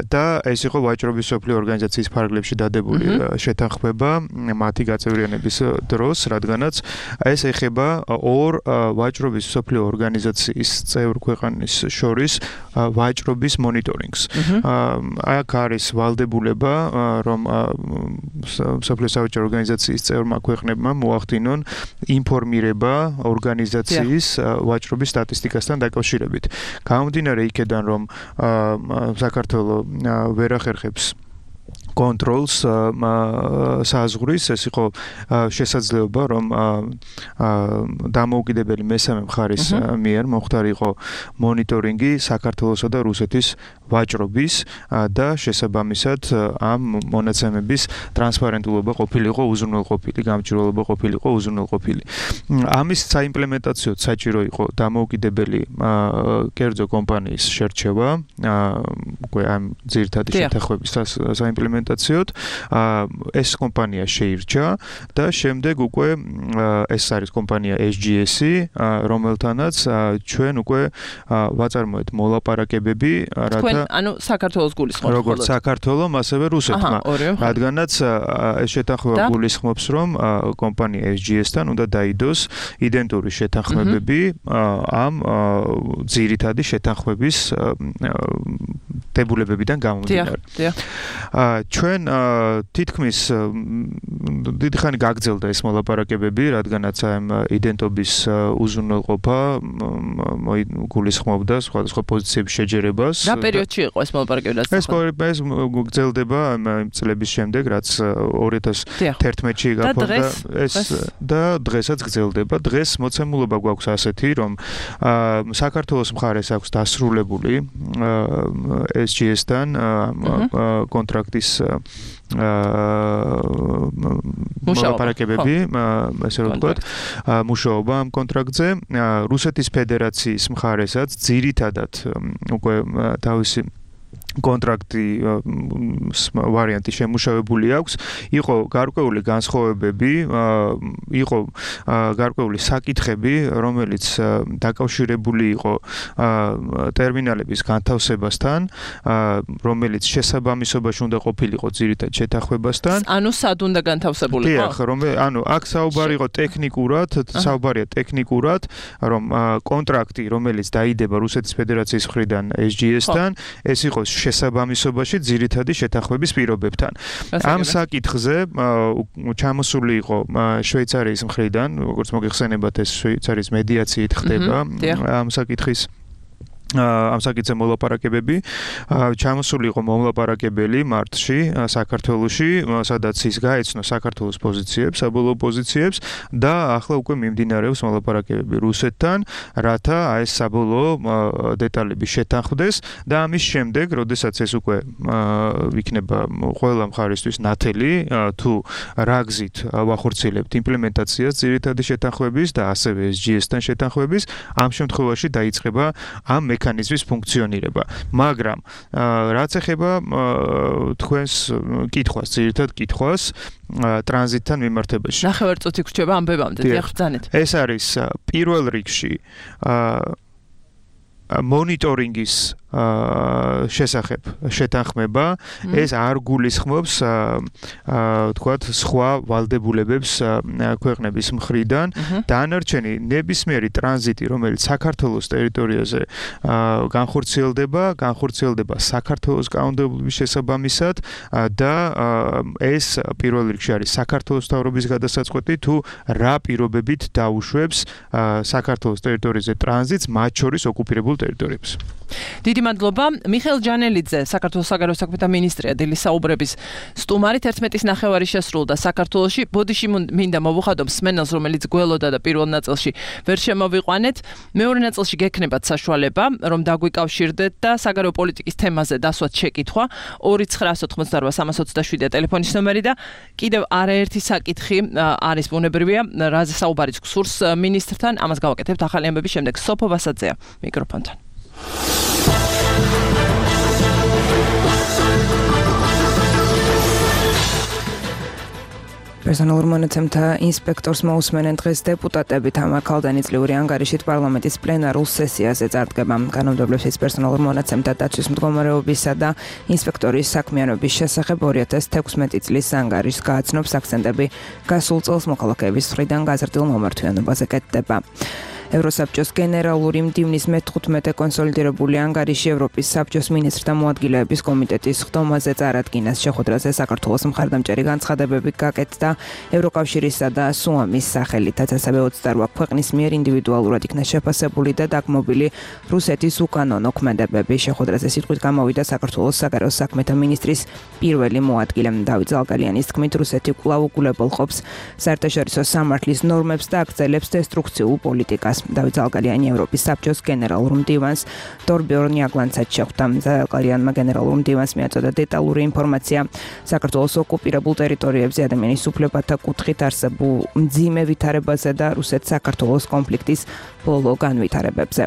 და ეს იყო ვაჭრობის სოფლიო ორგანიზაციის ფარგლებში დადებული შეთანხმება მათი გაწევრიანების დროს, რადგანაც ეს ეხება ორ ვაჭრობის სოფლიო ორგანიზაციის წევრ ქვეყნის შორის ვაჭრობის მონიტორინგს. აქ არის ვალდებულება, რომ სოფლიო სავაჭრო ორგანიზაციის წევრმა ქვეყნებმა მოახდინონ ინფორმირება ორგანიზაციის ვაჭრობის სტატისტიკასთან დაკავშირებით. გამომდინარე იქედან, რომ საქართველოს ვერ ახერხებს კონტროლს საზღვრის, ეს იყო შესაძლებლობა, რომ დამოუკიდებელი მესამე მხარის მიერ მომხდარიყო მონიტორინგი საქართველოსა და რუსეთის ვაჭრობის და შესაბამისად ამ მონაცემების ტრანსპარენტულობა ყოფილიყო უზრუნველყოფილი, გამჭვირვალობა ყოფილიყო უზრუნველყოფილი. ამის საიმპლემენტაციოდ საჭირო იყო დამოუკიდებელი კერძო კომპანიის შერჩევა, უკვე ამ ძირითადი შეთანხმების საიმპლემენტაციოდ ეს კომპანია შეირჩა და შემდეგ უკვე ეს არის კომპანია ეს ჯი ესი, რომელთანაც ჩვენ უკვე ვაწარმოეთ მოლაპარაკებები, რათა ანუ საქართველოს გულისხმობთ როგორც საქართველოს, ასევე რუსეთმა, რადგანაც ეს შეთანხმება გულისხმობს, რომ კომპანია ეს ჯი esi-თან უნდა დაიდოს იდენტური შეთანხმებები ამ ძირითადი შეთანხმების დებულებებიდან გამომდინარე. ჩვენ თითქმის დიდი ხანი გაგრძელდა ეს მოლაპარაკებები, რადგანაც ამ იდენტობის უზრუნველყოფა გულისხმობდა სხვადასხვა პოზიციების შეჯერებას. რა პერიოდში იყო ეს მოლაპარაკებები? ეს ეს გრძელდება იმ წლების შემდეგ, რაც ორი ათას თერთმეტში გაფორმდა ეს და დღესაც გრძელდება. დღეს მოცემულობა გვაქვს ასეთი, რომ საქართველოს მხარეს აქვს დასრულებული ეს ჯი esi-თან კონტრაქტის მოლაპარაკებები, ესე რომ ვთქვათ, მუშაობა ამ კონტრაქტზე. რუსეთის ფედერაციის მხარესაც ძირითადად უკვე თავისი კონტრაქტი ვარიანტი შემუშავებული აქვს. იყო გარკვეული განსხვავებები, იყო გარკვეული საკითხები, რომელიც დაკავშირებული იყო ტერმინალების განთავსებასთან, რომელიც შესაბამისობაში უნდა ყოფილიყო ძირითად შეთანხმებასთან. ანუ სად უნდა განთავსებულიყო? დიახ, რომ ანუ აქ საუბარი იყო ტექნიკურად, საუბარია ტექნიკურად, რომ კონტრაქტი, რომელიც დაიდება რუსეთის ფედერაციის მხრიდან ეს ჯი esi-თან, ეს იყო შესაბამისობაში ძირითადი შეთანხმების პირობებთან. ამ საკითხზე ჩამოსული იყო შვეიცარიის მხრიდან, როგორც მოგეხსენებათ, ეს შვეიცარიის მედიაციით ხდება ამ საკითხის ამ საკითხზე მოლაპარაკებები. ჩამოსული იყო მომლაპარაკებელი მარტში საქართველოში, სადაც ის გაეცნო საქართველოს პოზიციებს, საბოლოო პოზიციებს და ახლა უკვე მიმდინარეობს მოლაპარაკებები რუსეთთან, რათა ეს საბოლოო დეტალები შეთანხმდეს და ამის შემდეგ, როდესაც ეს უკვე იქნება ყველა მხარისთვის ნათელი, თუ რა გზით ვახორციელებთ იმპლემენტაციას ძირითადი შეთანხმების და ასევე ეს ჯი esi-თან შეთანხმების, ამ შემთხვევაში დაიწყება ამ მექანიზმის ფუნქციონირება. მაგრამ რაც ეხება თქვენს კითხვას, ძირითად კითხვას ტრანზიტთან მიმართებაში. ნახევარწუთი გრჩება ამ ბებამდე, დიახ, ბრძანეთ. ეს არის პირველ რიგში მონიტორინგის შესახებ შეთანხმება, ეს არ გულისხმობს თქვათ სხვა ვალდებულებებს ქვეყნების მხრიდან. დანარჩენი ნებისმიერი ტრანზიტი, რომელიც საქართველოს ტერიტორიაზე განხორციელდება, განხორციელდება საქართველოს კანონმდებლობის შესაბამისად და ეს პირველ რიგში არის საქართველოს მთავრობის გადასაწყვეტი, თუ რა პირობებით დაუშვებს საქართველოს ტერიტორიაზე ტრანზიტს, მათ შორის ოკუპირებულ ტერიტორიებს. დიდი მადლობა. მიხეილ ჯანელიძე, საქართველოს საგარეო საქმეთა მინისტრია, დილის საუბრების სტუმარით ერთმეტის ნახევარი შესრულდა საქართველოში. ბოდიში მინდა მოვუხადო მსმენელს, რომელიც გველოდა და პირველ ნაწილში ვერ შემოვიყვანეთ. მეორე ნაწილში გექნებათ საშუალება, რომ დაგვიკავშირდეთ და საგარეო პოლიტიკის თემაზე დასვათ შეკითხვა. ორი ცხრაას ოთხმოცდარვა სამას ოცდაშვიდია ტელეფონის ნომერი და კიდევ არაერთი საკითხი არის ბუნებრივია, რაზე საუბარიც გსურს მინისტრთან. ამას გავაკეთებთ ახალი ამბების შემდეგ. სოფო ვასაძეა მიკროფონთან. პერსონალურ მონაცემთა ინსპექტორს მოусმენენ დღეს დეპუტატები თამარ ქალდანიწლიური ანგარიშით პარლამენტის პლენარულ სესიაზე წარდგება. კანონმდებლობის პერსონალურ მონაცემთა დაცვის მდგომარეობისა და ინსპექტორის საქმიანობის შესახებ ორი ათას თექვსმეტი წლის ანგარიშს გააცნობს აქცენტები გასულ წელს მოქალაქეების მხრიდან გაზრდილ მომართვიანობაზე კეთდება. ევროსაბჭოს გენერალური მდივნის მეთხუთმეტე კონსოლიდირებული ანგარიში ევროპის საბჭოს მინისტრთა მოადგილეების კომიტეტის ხდომაზე წარადგინას შეხვედრაზე საქართველოს მხარდამჭერი განცხადებები გაკეთდა ევროკავშირისა და სუამის სახელითაც, ასევე ოცდაოთხ ქვეყნის მიერ ინდივიდუალურად იქნა შეფასებული და დაგმობილი რუსეთის უკანონო ქმედებები. შეხვედრაზე სიტყვით გამოვიდა საქართველოს საგარეო საქმეთა მინისტრის პირველი მოადგილე დავით ზალგალიანის თქმით, რუსეთი კვლავ უგულებელყოფს საერთაშორისო სამართლის ნორმებს და აგრძელებს დესტრუქციულ პოლიტიკას. დავით ზალგალიანი ევროპის საბჭოს გენერალურ მდივანს დორბიორ ნიაგლანცად შეხვდა. ზალგალიანმა გენერალურ მდივანს მიაწოდა დეტალური ინფორმაცია საქართველოს ოკუპირებულ ტერიტორიებზე ადამიანის უფლებათა კუთხით არსებულ მძიმე ვითარებაზე და რუსეთ-საქართველოს კონფლიქტის ბოლო განვითარებებზე.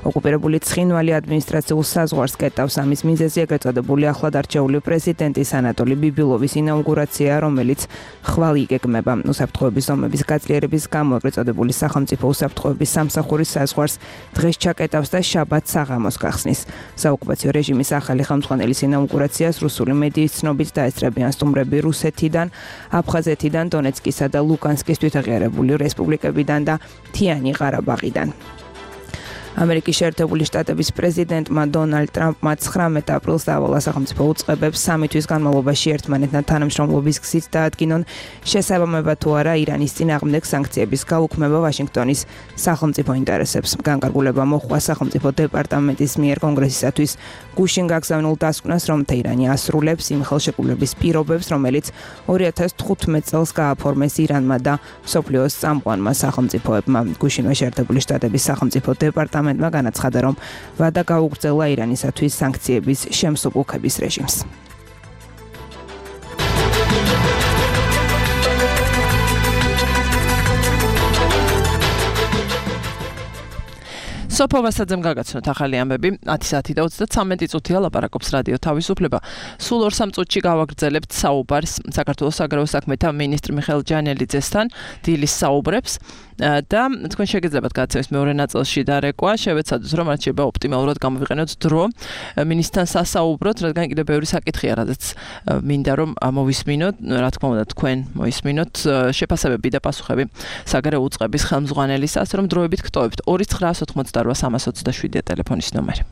ოკუპირებული ცხინვალი ადმინისტრაციულ საზღვარს კეტავს. ამის მიზეზი ეგრეთ წოდებული ახლად არჩეული პრეზიდენტის ანატოლი ბიბილოვის ინაუგურაცია, რომელიც ხვალ იგეგმება. უსაფრთხოების ზომების გაძლიერების გამო ეგრეთ წოდებული სახელმწიფო უსაფრთხოების სამსახურის საზღვარს დღეს ჩაკეტავს და შაბათს საღამოს გახსნის. საოკუპაციო რეჟიმის ახალი ხელმძღვანელის ინაუგურაციას რუსული მედიის ცნობით დაესწრებიან სტუმრები რუსეთიდან, აფხაზეთიდან, დონეცკისა და ლუგანსკის თვითაღიარებული რესპუბლიკებიდან და მთიანი ყარაბაღიდან. ამერიკის შეერთებული შტატების პრეზიდენტმა დონალდ ტრამპმა ცხრამეტ აპრილს დაავალა სახელმწიფო უწყებებს სამი თვის განმავლობაში ერთმანეთთან თანამშრომლობის გზით დაადგინონ შესაბამება თუ არა ირანის წინააღმდეგ სანქციების გაუქმება ვაშინგტონის სახელმწიფო ინტერესებს. განკარგულება მოჰყვა სახელმწიფო დეპარტამენტის მიერ კონგრესისათვის გუშინ გაგზავნილ დასკვნას, რომ თეირანი ასრულებს იმ ხელშეკრულების პირობებს, რომელიც ორი ათას თხუთმეტ წელს გააფორმეს ირანმა და მსოფლიოს წამყვანმა სახელმწიფოებმა. გუშინვე შეერთებული შტატების სახელმწიფო დეპარტამენტი მენტმა განაცხადა, რომ ვადა გაუგრძელა ირანისათვის სანქციების შემსუბუქების რეჟიმს. სოფო ვასაძემ გაგაცნოთ ახალი ამბები. ათი საათი და ოცდათვრამეტი წუთია ლაპარაკობს რადიო თავისუფლება. სულ ორ სამ წუთში გავაგრძელებთ საუბარს საქართველოს საგარეო საქმეთა მინისტრ მიხეილ ჯანელიძესთან დილის საუბრებს და თქვენ შეგეძლებათ გადაცემის მეორე ნაწილში დარეკვა. შევეცადოთ, რომ რაც შეიძლება ოპტიმალურად გამოვიყენოთ დრო მინისტრთან სასაუბროთ, რადგან კიდევ ბევრი საკითხია, რადგან მინდა რომ მოვისმინოთ, რა თქმა უნდა თქვენ მოისმინოთ შეფასებები და პასუხები საგარეო უწყების ხელმძღვანელის, ასე რომ დროებით გტოვებთ. ორი ცხრაას ოთხმოცდარვა სამას ოცდაშვიდია ტელეფონის ნომერი.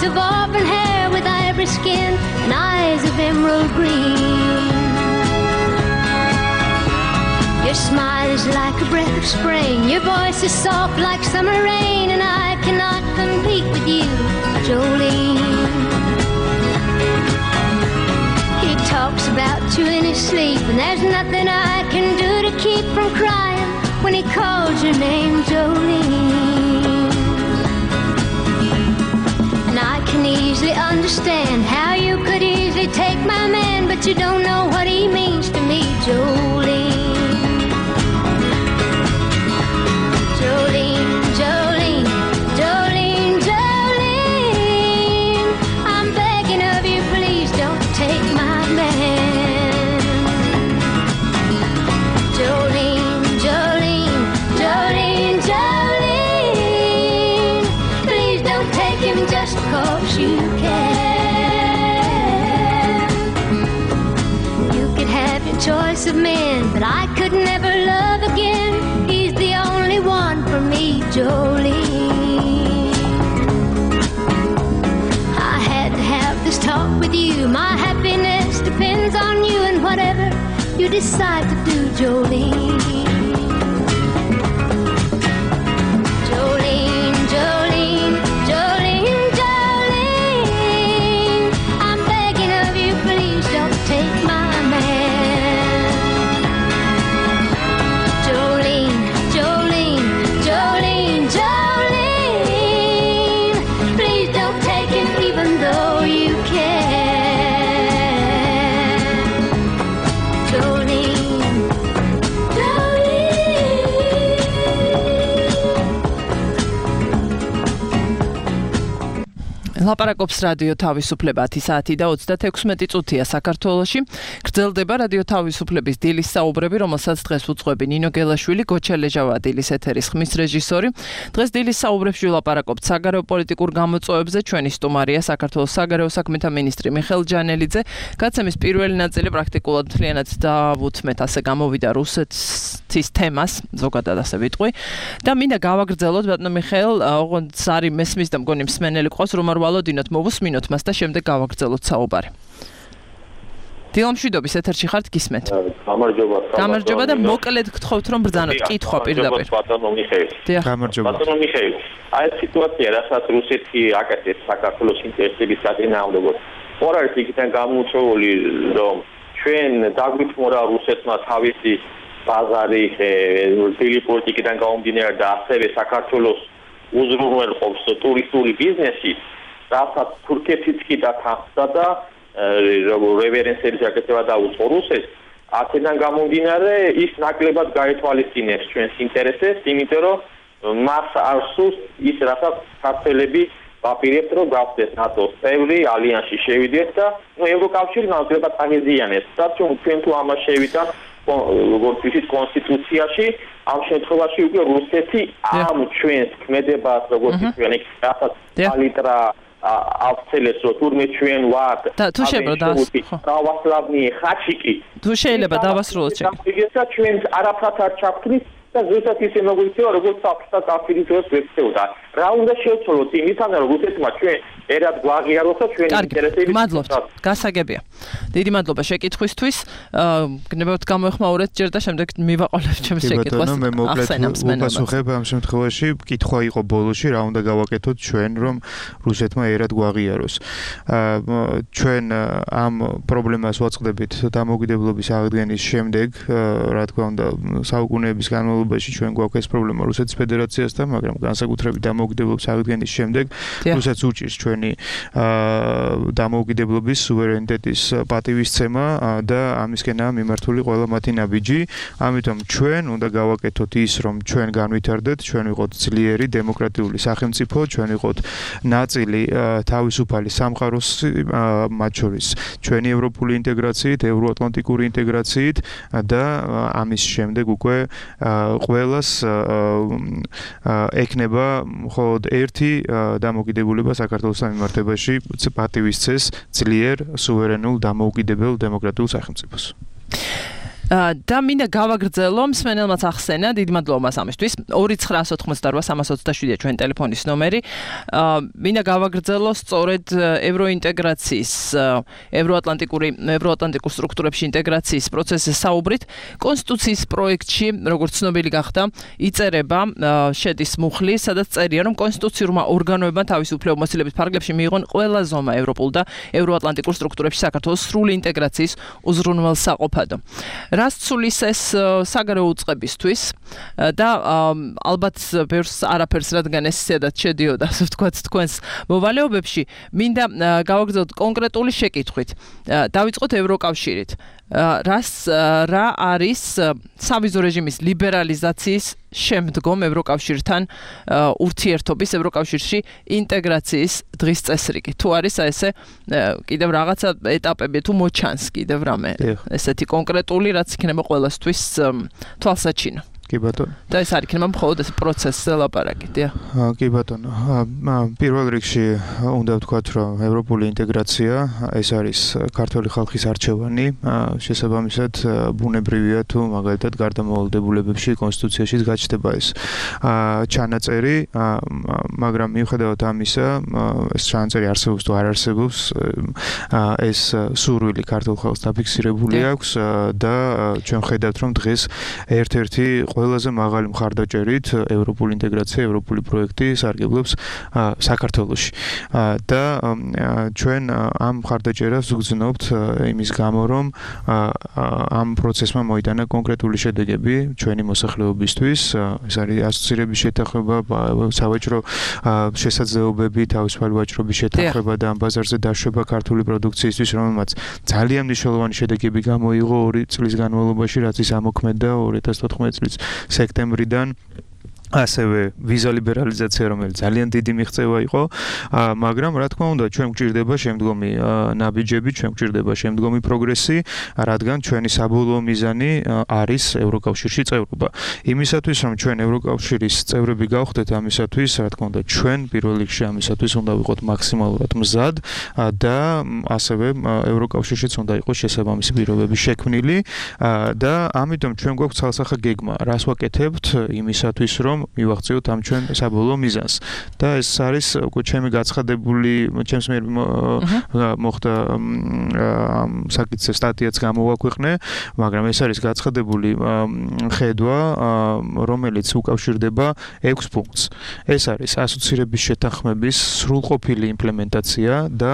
Of auburn hair with ivory skin and eyes of emerald green. Your smile is like a breath of spring. Your voice is soft like summer rain, and I cannot compete with you, Jolene. He talks about you in his sleep, and there's nothing I can do to keep from crying when he calls your name, Jolene. And I can easily understand how you could easily take my man, but you don't know what he means to me, Jolene. Jolene, Jolene, Jolene, Jolene, I'm begging of you, please don't take my man. Jolene, Jolene, Jolene, Jolene, please don't take him just because you can. You could have your choice of men, but I could never love again. He's the only one for me, Jolene. I had to have this talk with you. My happiness depends on you and whatever you decide to do, Jolene. Jolene, Jolene, Jolene, Jolene, I'm begging of you, please don't take my man. Jolene, Jolene, Jolene, Jolene, please don't take him even though you can. Jolene, ლაპარაკობს რადიო თავისუფლება ათი საათი და ოცდათექვსმეტი წუთია საქართველოში. გრძელდება რადიო თავისუფლების დილის საუბრები, რომელსაც დღეს უძღვები ნინო გელაშვილი, გოჩა ლეჟავა დილის ეთერის ხმის რეჟისორი. დღეს დილის საუბრებში ვლაპარაკობთ საგარეო პოლიტიკურ გამოწვევებზე. ჩვენი სტუმარია საქართველოს საგარეო საქმეთა მინისტრი მიხეილ ჯანელიძე. გაცემის პირველი ნაწილი პრაქტიკულად მთლიანად დავუთმეთ, ასე გამოვიდა რუსეთის თემას, ზოგადად ასე ვიტყვი. და მინდა გავაგრძელოთ ბატონო მიხეილ, ოღონდ არის მესმის და მგონი მსმენელი ყავს, რომ არ ვალოდინოთ, მოვუსმინოთ მას და შემდეგ გავაგრძელოთ საუბარი. დილამშვიდობის ეთერში ხართ, გისმენთ. გამარჯობა. გამარჯობა და მოკლედ გთხოვთ რომ ბრძანოთ. კითხვა პირდაპირ. ბატონო მიხეილ. გამარჯობა. ბატონო მიხეილ, აი ეს სიტუაცია, რასაც რუსეთი აკეთებს საქართველოს ინტერესების საწინააღმდეგოდ. ორ არის იქიდან გამოუწვეული, რომ ჩვენ დაგვითმორა რუსეთმა თავისი ბაზარი, დილის პოლიტიკიდან გამომდინარე და ასევე საქართველოს უზრუნველყოფს ტურისტული ბიზნესი, რასაც თურქეთიც კი დათანხმდა და რევერენსების აკეთება დაუწყო რუსეთს. აქედან გამომდინარე ის ნაკლებად გაეთვალისწინებს ჩვენს ინტერესებს, იმიტომ რომ მას არ სურს ის, რასაც ქართველები ვაპირებთ, რომ გავხდეთ ნატოს წევრი, ალიანსში შევიდეთ და ნუ ევროკავშირი ნაკლებად აღეზიანებს. და ჩვენ თუ ამას შევიდეთ როგორც ისიც კონსტიტუციაში, ამ შემთხვევაში უკვე რუსეთი ამ ჩვენს ქმედებას, როგორც ჩვენ იქ რასაც ალიტრა ავცელეს, რომ თურმე ჩვენ ვართ და თუ შეიძლება დავასლაბნი ხაჩიკი. თუ შეიძლება დავასრულოთ შეკითხვა. და ჩვენ არაფრად არ ჩავქმნით და ზუსტად ისე მოგვიქცევა, როგორც საფრთხა კავშირის ვექცეოდა. რა უნდა შევცვალოთ იმისთან, რომ რუსეთმა ჩვენ ერად გვაღიაროს და ჩვენი ინტერესები. მადლობთ. გასაგებია. დიდი მადლობა შეკითხვისთვის. გნებავთ გამოეხმაურეთ ჯერ და შემდეგ მივაყოლებ ჩემს შეკითხვას. მე მოკლედ ვუპასუხებ ამ შემთხვევაში, კითხვა იყო ბოლოში, რა უნდა გავაკეთოთ ჩვენ, რომ რუსეთმა ერად გვაღიაროს. ჩვენ ამ პრობლემას ვაწყდებით დამოუკიდებლობის აღდგენის შემდეგ, რა თქმა უნდა, საუკუნეების განმავლობაში ჩვენ გვაქვს ეს პრობლემა რუსეთის ფედერაციასთან, მაგრამ განსაკუთრებით დამოუკიდებლობის აღდგენის შემდეგ რუსეთს უჭირს ჩვენი დამოუკიდებლობის სუვერენიტეტის პატივისცემა და ამისკენაა მიმართული ყველა მათი ნაბიჯი. ამიტომ ჩვენ უნდა გავაკეთოთ ის, რომ ჩვენ განვითარდეთ, ჩვენ ვიყოთ ძლიერი დემოკრატიული სახელმწიფო, ჩვენ ვიყოთ ნაწილი თავისუფალი სამყაროს, მათ შორის ჩვენი ევროპული ინტეგრაციით, ევროატლანტიკური ინტეგრაციით და ამის შემდეგ უკვე ყველას ექნება მხოლოდ ერთი დამოუკიდებლობა საქართველოს მიმართებაში პატივისცეს ძლიერ, სუვერენულ, დამოუკიდებელ დემოკრატიულ სახელმწიფოს. და მინდა გავაგრძელო მსმენელმაც ახსენა დიდი მადლობა მას ამისთვის ორი ცხრა ოცდაოთხმოცდარბა სამას ოცდაშვიდია ჩვენ ტელეფონის ნომერი მინდა გავაგრძელო სწორედ ევროინტეგრაციის ევროატლანტიკური ევროატლანტიკურ სტრუქტურებში ინტეგრაციის პროცესზე საუბრით კონსტიტუციის პროექტში როგორც ცნობილი გახდა იწერება შედის მუხლი სადაც წერია რომ კონსტიტუციურმა ორგანოებმა თავის უფლებამოსილების ფარგლებში მიიღონ ყველა ზომა ევროპულ და ევროატლანტიკურ სტრუქტურებში საქართველოს სრული ინტეგრაციის უზრუნველსაყოფადო რას ცulis ეს საგარეო უწყებისთვის და ალბათ ბევრს არაფერს რადგან ეს ისედაც შედიოდა ასე ვთქვათ თქვენს მოვალეობებში მინდა გავაგრძელოთ კონკრეტული შეკითხვით დავიწყოთ ევროკავშირით რას რა არის სავიზო რეჟიმის ლიბერალიზაციის შემდგომ ევროკავშირთან ურთიერთობის ევროკავშირში ინტეგრაციის დღის წესრიგი თუ არის ესე კიდევ რაღაცა ეტაპები თუ მოჩანს კიდევ რამე ესეთი კონკრეტული რაც იქნება ყველასთვის თვალსაჩინო კი ბატონო. და ეს არ იქნება მხოლოდ ეს პროცესზე ლაპარაკი, დიახ. კი ბატონო. პირველ რიგში უნდა ვთქვათ, რომ ევროპული ინტეგრაცია ეს არის ქართული ხალხის არჩევანი, შესაბამისად ბუნებრივია თუ მაგალითად გარდამავალდებულებებში კონსტიტუციაში გაჩნდება ეს ჩანაწერი, მაგრამ მიუხედავად ამისა, ეს ჩანაწერი არსებობს თუ არ არსებობს, ეს სურვილი ქართულ ხალხს დაფიქსირებული აქვს და ჩვენ ხედავთ, რომ დღეს ერთ-ერთი ყველაზე მაღალი მხარდაჭერით ევროპული ინტეგრაცია, ევროპული პროექტი სარგებლობს საქართველოში. და ჩვენ ამ მხარდაჭერას ვგრძნობთ იმის გამო, რომ ამ პროცესმა მოიტანა კონკრეტული შედეგები ჩვენი მოსახლეობისთვის. ეს არის ასოცირების შეთანხმება, სავაჭრო შესაძლებლობები, თავისუფალი ვაჭრობის შეთანხმება და ამ ბაზარზე დაშვება ქართული პროდუქციისთვის, რომელმაც ძალიან მნიშვნელოვანი შედეგები გამოიღო ორი წლის განმავლობაში, რაც ის ამოქმედა ორი ათას თოთხმეტი წლის სექტემბრიდან. ასევე ვიზა ლიბერალიზაცია, რომელიც ძალიან დიდი მიღწევა იყო, მაგრამ რა თქმა უნდა, ჩვენ გვჭირდება შემდგომი ნაბიჯები, ჩვენ გვჭირდება შემდგომი პროგრესი, რადგან ჩვენი საბოლოო მიზანი არის ევროკავშირში წევრობა. იმისათვის, რომ ჩვენ ევროკავშირის წევრები გავხდეთ, ამისათვის, რა თქმა უნდა, ჩვენ პირველ რიგში ამისათვის უნდა ვიყოთ მაქსიმალურად მზად და ასევე ევროკავშირშიც უნდა იყოს შესაბამისი პირობები შექმნილი და ამიტომ ჩვენ გვაქვს ცალსახა გეგმა, რას ვაკეთებთ იმისათვის, რომ მივაღწიოთ ამ ჩვენ საბოლოო მიზანს. და ეს არის უკვე ჩემი გაცხადებული, ჩემს მიერ მოხდა ამ საკითხზე სტატიაც გამოვაქვეყნე, მაგრამ ეს არის გაცხადებული ხედვა, რომელიც უკავშირდება ექვს პუნქტს. ეს არის ასოცირების შეთანხმების სრულყოფილი იმპლემენტაცია და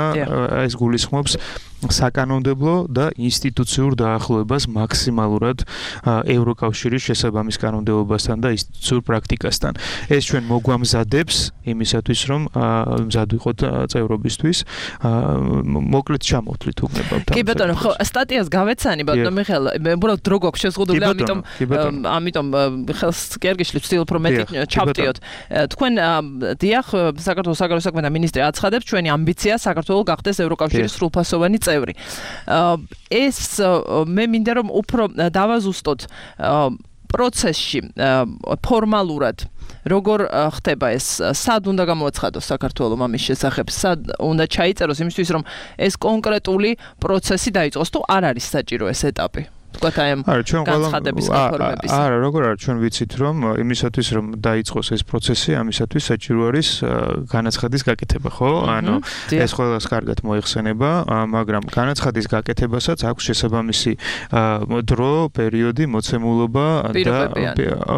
ეს გულისხმობს საკანონმდებლო და ინსტიტუციურ დაახლოებას მაქსიმალურად ევროკავშირის შესაბამის კანონმდებლობასთან და ინსტიტუციურ პრაქტიკასთან. ეს ჩვენ მოგვამზადებს იმისათვის, რომ მზად ვიყოთ წევრობისთვის. მოკლედ ჩამოვთვლით უგნებავთ. კი ბატონო, ხო, სტატიას გავეცანი, ბატონო მიხეილ, უბრალოდ დრო გვაქვს შეზღუდული, ამიტომ ამიტომ ხელს კი არ გიშლით, ვცდილობ რომ მეტი ჩავტიოთ. თქვენ დიახ, საქართველოს საგარეო საქმეთა მინისტრი აცხადებს, ჩვენი ამბიცია საქართველოს გახდეს ევროკავშირის სრულფასოვანი წევრი. ეს მე მინდა რომ უფრო დავაზუსტოთ პროცესში ფორმალურად როგორ ხდება ეს, სად უნდა გამოაცხადოს საქართველოს ამის შესახებ, სად უნდა ჩაიწეროს იმისთვის, რომ ეს კონკრეტული პროცესი დაიწყოს, თუ არ არის საჭირო ეს ეტაპი. თქვათ აი ამ განცხადების რეფორმების. არა, როგორ არის, ჩვენ ვიცით, რომ იმისათვის, რომ დაიწყოს ეს პროცესი, ამისათვის საჭირო არის განაცხადის გაკეთება, ხო? ანუ ეს ყველას კარგად მოიხსენება, მაგრამ განაცხადის გაკეთებასაც აქვს შესაბამისი დრო, პერიოდი, მოცემულობა და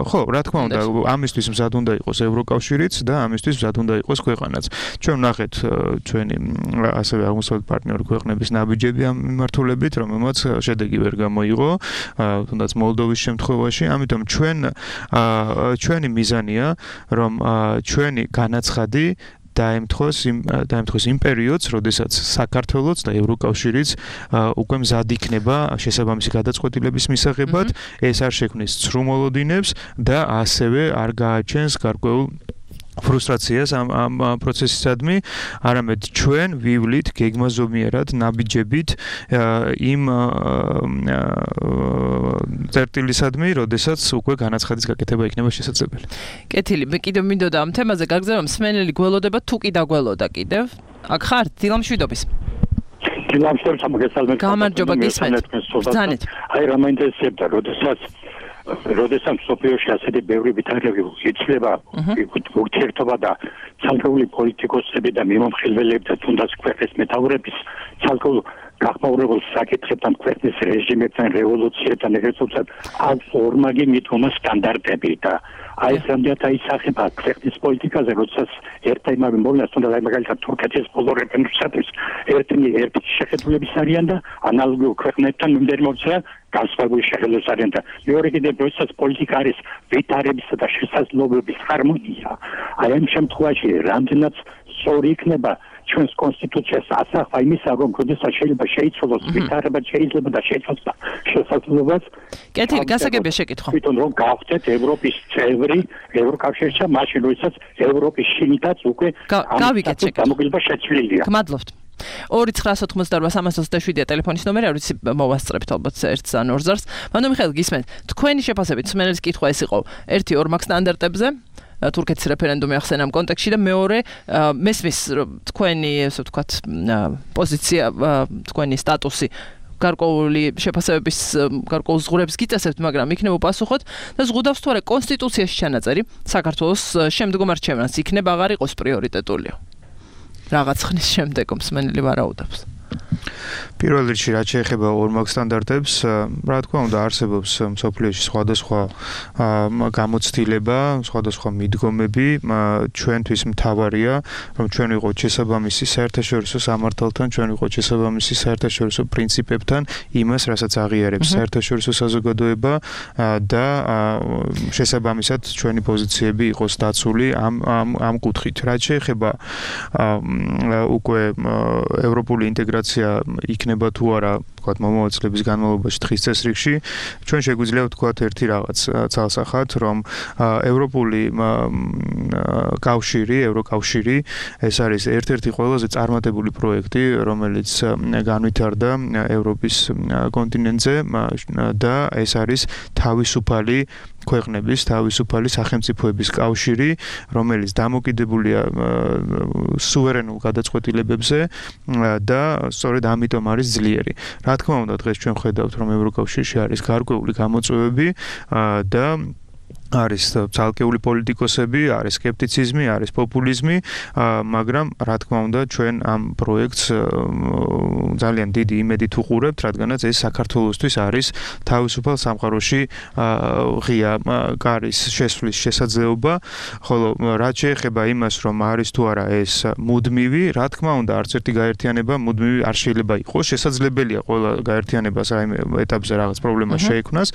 ხო, რა თქმა უნდა, ამისთვის მზად უნდა იყოს ევროკავშირიც და ამისთვის მზად უნდა იყოს ქვეყანაც. ჩვენ ვნახეთ ჩვენი ასევე აღმოსავლეთ პარტნიორი ქვეყნების ნაბიჯები ამ მიმართულებით, რომელმაც შედეგი ვერ გამოიღო. თუნდაც მოლდოვის შემთხვევაში, ამიტომ ჩვენ ჩვენი მიზანია, რომ ჩვენი განაცხადი დაემთხოს იმ დაემთხოს იმ პერიოდს, როდესაც საქართველოს და ევროკავშირიც უკვე მზად იქნება შესაბამისი გადაწყვეტილების მისაღებად, ეს არ შექმნის ცრუმოლოდინებს და ასევე არ გააჩენს გარკვეულ ფრუსტრაციას ამ ამ პროცესისადმი, არამედ ჩვენ ვივლით გეგმაზომიერად ნაბიჯებით იმ წერტილისადმი, როდესაც უკვე განაცხადის გაკეთება იქნება შესაძლებელი. კეთილი, მე კიდევ მინდოდა ამ თემაზე გაგზავნა, მსმენელი გველოდება თუ კი დაგველოდა კიდევ? აქ ხართ დილამშვიდობის. გილამშორ სამგესალმე გამარჯობა გისმენთ ბრძანეთ აი რა მაინტერესებდა როდესაც როდესაც სოფიოში ასეთი ბევრი ვითარები იცლება ურთიერთობა და ცალკეული პოლიტიკოსები და მიმომხილველები და თუნდაც ქვეყნის მეთაურების ცალკეულ გახმაურებულ საკითხებთან ქვეყნის რეჟიმებთან რევოლუციებთან ეგრეთაც აქვს ორმაგი მithoma სტანდარტები და აი რამდენად აისახება ქვეყნის პოლიტიკაზე როდესაც ერთ იმავე მოვლენას თუნდაც აი მაგალითად თურქეთის ბოლო რეფერენდუმისათვის ერთი ერთი შეხედულების არიან და ანალოგიურ ქვეყნებთან მიმდინარეობენ განსხვავებული შეხედულების არიან და მეორე კიდევ როდესაც პოლიტიკა არის ვითარებისა და შესაძლებლობების ჰარმონია აი ამ შემთხვევაში რამდენად სწორი იქნება ჩვენს კონსტიტუციას ასახვა იმისა, რომ როდესაც შეიძლება შეიცვალოს ვითარება, შეიძლება და შეიცვალოს შესაძლებლობას. კეთილი, გასაგებია შეკითხვა. თვითონ რომ გავხდეთ ევროპის წევრი, ევროკავშირში, მაშინ როდესაც ევროპის შინიდაც უკვე გავიგეთ შეკითხვა. გამოგება შეცვლილია. გმადლობთ. ორი ცხრა ოცდაოთხმოცდაორვა სამას ოცდაშვიდია ტელეფონის ნომერი, როდის მოვასწრებთ ალბათ ერთს ან ორ ზარს. მანდ მიხეილ გისმენთ, თქვენი შეფასებით სმენელის კითხვა ეს იყო ერთი ორმაგ სტანდარტებზე თურქეთის რეფერენდუმი ახსენა ამ კონტექსტში და მეორე მესმის თქვენი ესე ვთქვათ პოზიცია თქვენი სტატუსი გარკვეული შეფასებების გარკვეულ ზღურებს გიწესებთ, მაგრამ იქნება უპასუხოთ და ზღუდავს თუ არა კონსტიტუციაში ჩანაწერი საქართველოს შემდგომ არჩევნას იქნება აღარ იყოს პრიორიტეტულია. რაღაც ხნის შემდეგ მსმენელი ვარაუდობს. პირველ რიგში რაც შეეხება ორმაგ სტანდარტებს, რა თქმა უნდა არსებობს მსოფლიოში სხვადასხვა გამოცდილება, სხვადასხვა მიდგომები, ჩვენთვის მთავარია, რომ ჩვენ ვიყოთ შესაბამისი საერთაშორისო სამართალთან, ჩვენ ვიყოთ შესაბამისი საერთაშორისო პრინციპებთან, იმას, რასაც აღიარებს საერთაშორისო საზოგადოება და შესაბამისად ჩვენი პოზიციები იყოს დაცული ამ ამ ამ კუთხით. რაც შეეხება უკვე ევროპული ინტეგრაცია იქნება თუ არა, ვთქვათ, მომავალ წლების განმავლობაში დღის წესრიგში, ჩვენ შეგვიძლია ვთქვათ ერთი რაღაც ცალსახად, რომ ევროპული კავშირი, ევროკავშირი, ეს არის ერთ-ერთი ყველაზე წარმატებული პროექტი, რომელიც განვითარდა ევროპის კონტინენტზე და ეს არის თავისუფალი ქვეყნების, თავისუფალი სახელმწიფოების კავშირი, რომელიც დამოკიდებულია სუვერენულ გადაწყვეტილებებზე და სწორედ ამიტომ არის ძლიერი. რა თქმა უნდა, დღეს ჩვენ ხედავთ, რომ ევროკავშირში არის გარკვეული გამოწვევები და არის ცალკეული პოლიტიკოსები, არის სკეპტიციზმი, არის პოპულიზმი, მაგრამ რა თქმა უნდა, ჩვენ ამ პროექტს ძალიან დიდი იმედით უყურებთ, რადგანაც ეს საქართველოსთვის არის თავისუფალ სამყაროში ღია კარის შესვლის შესაძლებლობა, ხოლო რაც შეეხება იმას, რომ არის თუ არა ეს მუდმივი, რა თქმა უნდა, არც ერთი გაერთიანება მუდმივი არ შეიძლება იყოს, შესაძლებელია ყველა გაერთიანებას რაიმე ეტაპზე რაღაც პრობლემა შეექმნას.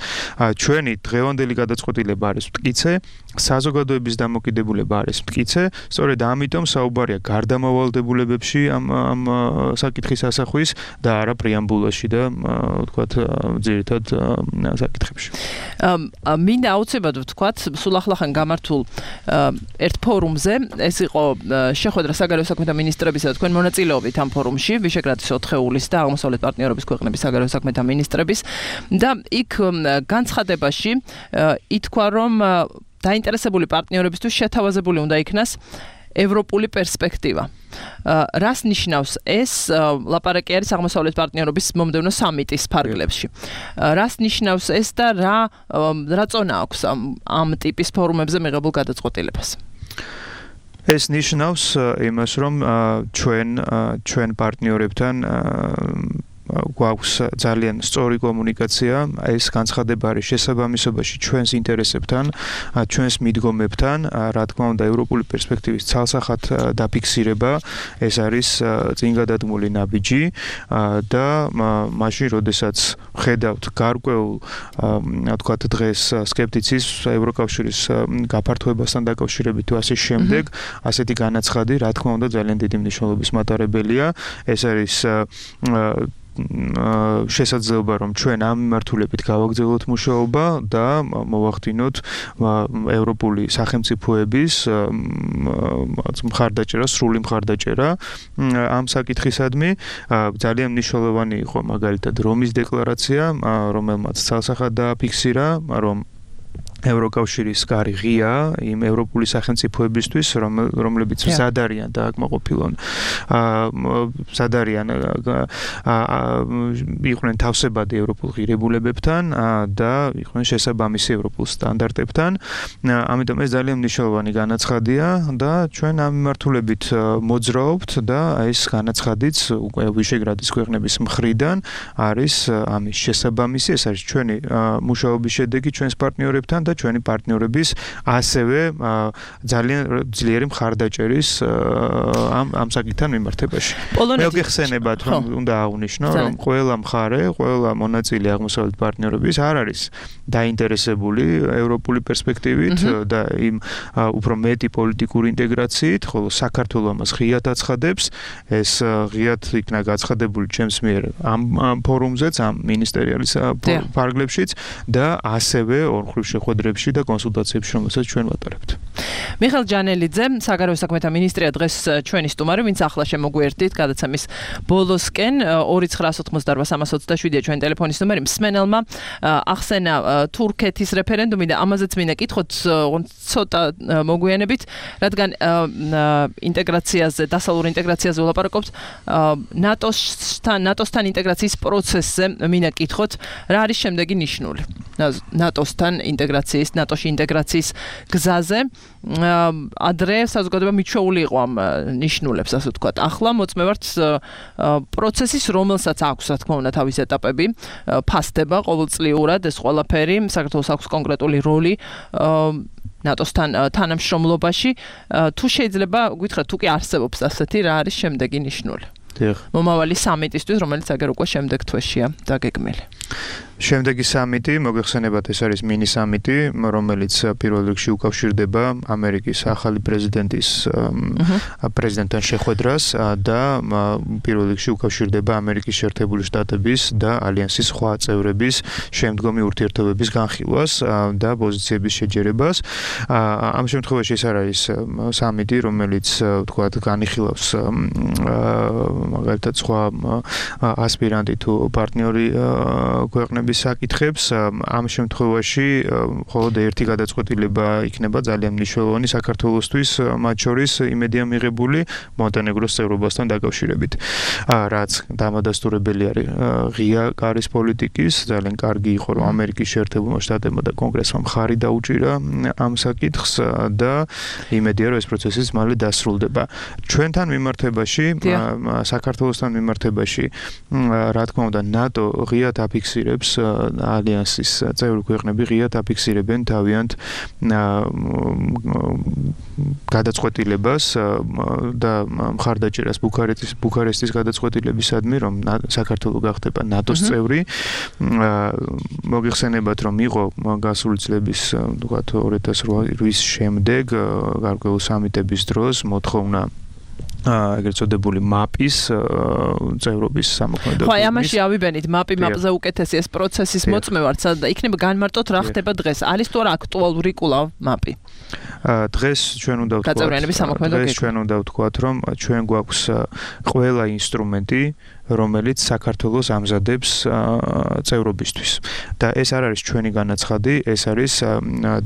ჩვენი დღევანდელი გადაწყვეტილება არის მტკიცე, საზოგადოების დამოკიდებულება არის მტკიცე, სწორედ ამიტომ საუბარია გარდამავალდებულებებში ამ ამ საკითხის ასახვის და არა პრეამბულაში და ვთქვათ ძირითად საკითხებში. მინდა აუცილებლად ვთქვათ, სულ ახლახან გამართულ ერთ ფორუმზე, ეს იყო შეხვედრა საგარეო საქმეთა მინისტრებისა და თქვენ მონაწილეობით ამ ფორუმში, ვიშეგრადის ოთხეულის და აღმოსავლეთ პარტნიორობის ქვეყნების საგარეო საქმეთა მინისტრების და იქ განცხადებაში ითქვა, რომ დაინტერესებული პარტნიორებისთვის შეთავაზებული უნდა იქნას ევროპული პერსპექტივა. რას ნიშნავს ეს? ლაპარაკი არის აღმოსავლეთ პარტნიორობის მომდევნო სამიტის ფარგლებში. რას ნიშნავს ეს და რა რა წონა აქვს ამ ტიპის ფორუმებზე მიღებულ გადაწყვეტილებას? ეს ნიშნავს იმას, რომ ჩვენ ჩვენ პარტნიორებთან გვაქვს ძალიან სწორი კომუნიკაცია, ეს განცხადება არის შესაბამისობაში ჩვენს ინტერესებთან, ჩვენს მიდგომებთან, რა თქმა უნდა, ევროპული პერსპექტივის ცალსახად დაფიქსირება, ეს არის წინგადადგმული ნაბიჯი და მაშინ, როდესაც ხედავთ გარკვეულ, ვთქვათ, დღეს სკეპტიციზმს ევროკავშირის გაფართოებასთან დაკავშირებით თუ ასე შემდეგ, ასეთი განაცხადი, რა თქმა უნდა, ძალიან დიდი მნიშვნელობის მატარებელია. ეს არის შესაძლებლობა, რომ ჩვენ ამ მიმართულებით გავაგრძელოთ მუშაობა და მოვახდინოთ ევროპული სახელმწიფოების მხარდაჭერა, სრული მხარდაჭერა ამ საკითხისადმი. ძალიან მნიშვნელოვანი იყო მაგალითად რომის დეკლარაცია, რომელმაც ცალსახად დააფიქსირა, რომ ევროკავშირის კარი ღია იმ ევროპული სახელმწიფოებისთვის, რომლებიც მზად არიან დააკმაყოფილონ მზად არიან იყვნენ თავსებადი ევროპულ ღირებულებებთან და იყვნენ შესაბამისი ევროპულ სტანდარტებთან. ამიტომ ეს ძალიან მნიშვნელოვანი განაცხადია და ჩვენ ამ მიმართულებით მოძრაობთ და ეს განაცხადიც უკვე ვიშეგრადის ქვეყნების მხრიდან არის ამის შესაბამისი, ეს არის ჩვენი მუშაობის შედეგი ჩვენს პარტნიორებთან და ჩვენი პარტნიორების ასევე ძალიან ძლიერი მხარდაჭერის ამ ამ საკითხთან მიმართებაში. მე გეხსენებათ რომ უნდა აღვნიშნო რომ ყველა მხარე, ყველა მონაწილე აღმოსავლეთ პარტნიორების არ არის დაინტერესებული ევროპული პერსპექტივით და იმ უფრო მეტი პოლიტიკური ინტეგრაციით, ხოლო საქართველო ამას ღიად აცხადებს, ეს ღიად იქნა გაცხადებული ჩემს მიერ ამ ფორუმზეც, ამ მინისტერიალის ფარგლებშიც და ასევე ორხრივ შეხვედრებში და კონსულტაციებში, რომელსაც ჩვენ ვატარებთ. მიხეილ ჯანელიძე, საგარეო საქმეთა მინისტრია დღეს ჩვენი სტუმარი, ვინც ახლა შემოგვიერთდით გადაცემის ბოლოსკენ ორი ცხრა ოთხმოცდაარბა სამას ოცდაშვიდია ჩვენ ტელეფონის ნომერი. მსმენელმა ახსენა თურქეთის რეფერენდუმი და ამაზეც მინდა კითხოთ ცოტა მოგვიანებით, რადგან ინტეგრაციაზე, დასავლურ ინტეგრაციაზე ვლაპარაკობთ, ნატოსთან, ნატოსთან ინტეგრაციის პროცესზე მინდა კითხოთ, რა არის შემდეგი ნიშნული ნატოსთან ინტეგრაციის, ნატოში ინტეგრაციის გზაზე. ადრე საზოგადოება მიჩვეული იყო ამ ნიშნულებს, ასე ვთქვათ. ახლა მოწმევართ პროცესის, რომელსაც აქვს, რა თქმა უნდა, თავის ეტაპები, ფასდება ყოველწლიურად ეს ყველაფერი, საქართველოს აქვს კონკრეტული როლი ნატოსთან თანამშრომლობაში. თუ შეიძლება გითხრათ, თუ კი არსებობს ასეთი, რა არის შემდეგი ნიშნული? მომავალი სამიტისთვის, რომელიც აგერ უკვე შემდეგ თვეშია დაგეგმილი. შემდეგი სამიტი, მოგეხსენებათ, ეს არის მინი სამიტი, რომელიც პირველ რიგში უკავშირდება ამერიკის ახალი პრეზიდენტის პრეზიდენტთან შეხვედრას და პირველ რიგში უკავშირდება ამერიკის შეერთებული შტატების და ალიანსის სხვა წევრების შემდგომი ურთიერთობების განხილვას და პოზიციების შეჯერებას. ამ შემთხვევაში ეს არ არის სამიტი, რომელიც ვთქვათ, განიხილავს მაგალითად სხვა ასპირანტი თუ პარტნიორი ქვეყნების საკითხებს. ამ შემთხვევაში მხოლოდ ერთი გადაწყვეტილება იქნება ძალიან მნიშვნელოვანი საქართველოსთვის, მათ შორის იმედია მიღებული მონტენეგროს წევრობასთან დაკავშირებით. რაც დამადასტურებელი არის ღია კარის პოლიტიკის, ძალიან კარგი იყო, რომ ამერიკის შეერთებულმა შტატებმა და კონგრესმა მხარი დაუჭირა ამ საკითხს და იმედია, რომ ეს პროცესიც მალე დასრულდება. ჩვენთან მიმართებაში, საქართველოსთან მიმართებაში, რა თქმა უნდა, ნატო ღიად აფიქსირებს ალიანსის წევრი ქვეყნები ღიად აფიქსირებენ თავიანთ გადაწყვეტილებას და მხარდაჭერას ბუქარესტის ბუქარესტის გადაწყვეტილებისადმი, რომ საქართველო გახდება ნატოს წევრი. მოგეხსენებათ, რომ იყო გასული წლების, ვთქვათ, ორი ათას რვის შემდეგ გარკვეული სამიტების დროს მოთხოვნა ეგრეთ წოდებული მაპის წევრობის სამოქმედო. ხო, ამაში ავიბენით, მაპი მაპზე უკეთესი ეს პროცესის მოწმევართ, და იქნება განმარტოთ რა ხდება დღეს. არის თუ არა აქტუალური კვლავ მაპი? დღეს ჩვენ უნდა ვთქვათ, დღეს ჩვენ უნდა ვთქვათ, რომ ჩვენ გვაქვს ყველა ინსტრუმენტი, რომელიც საქართველოს ამზადებს წევრობისთვის. და ეს არ არის ჩვენი განაცხადი, ეს არის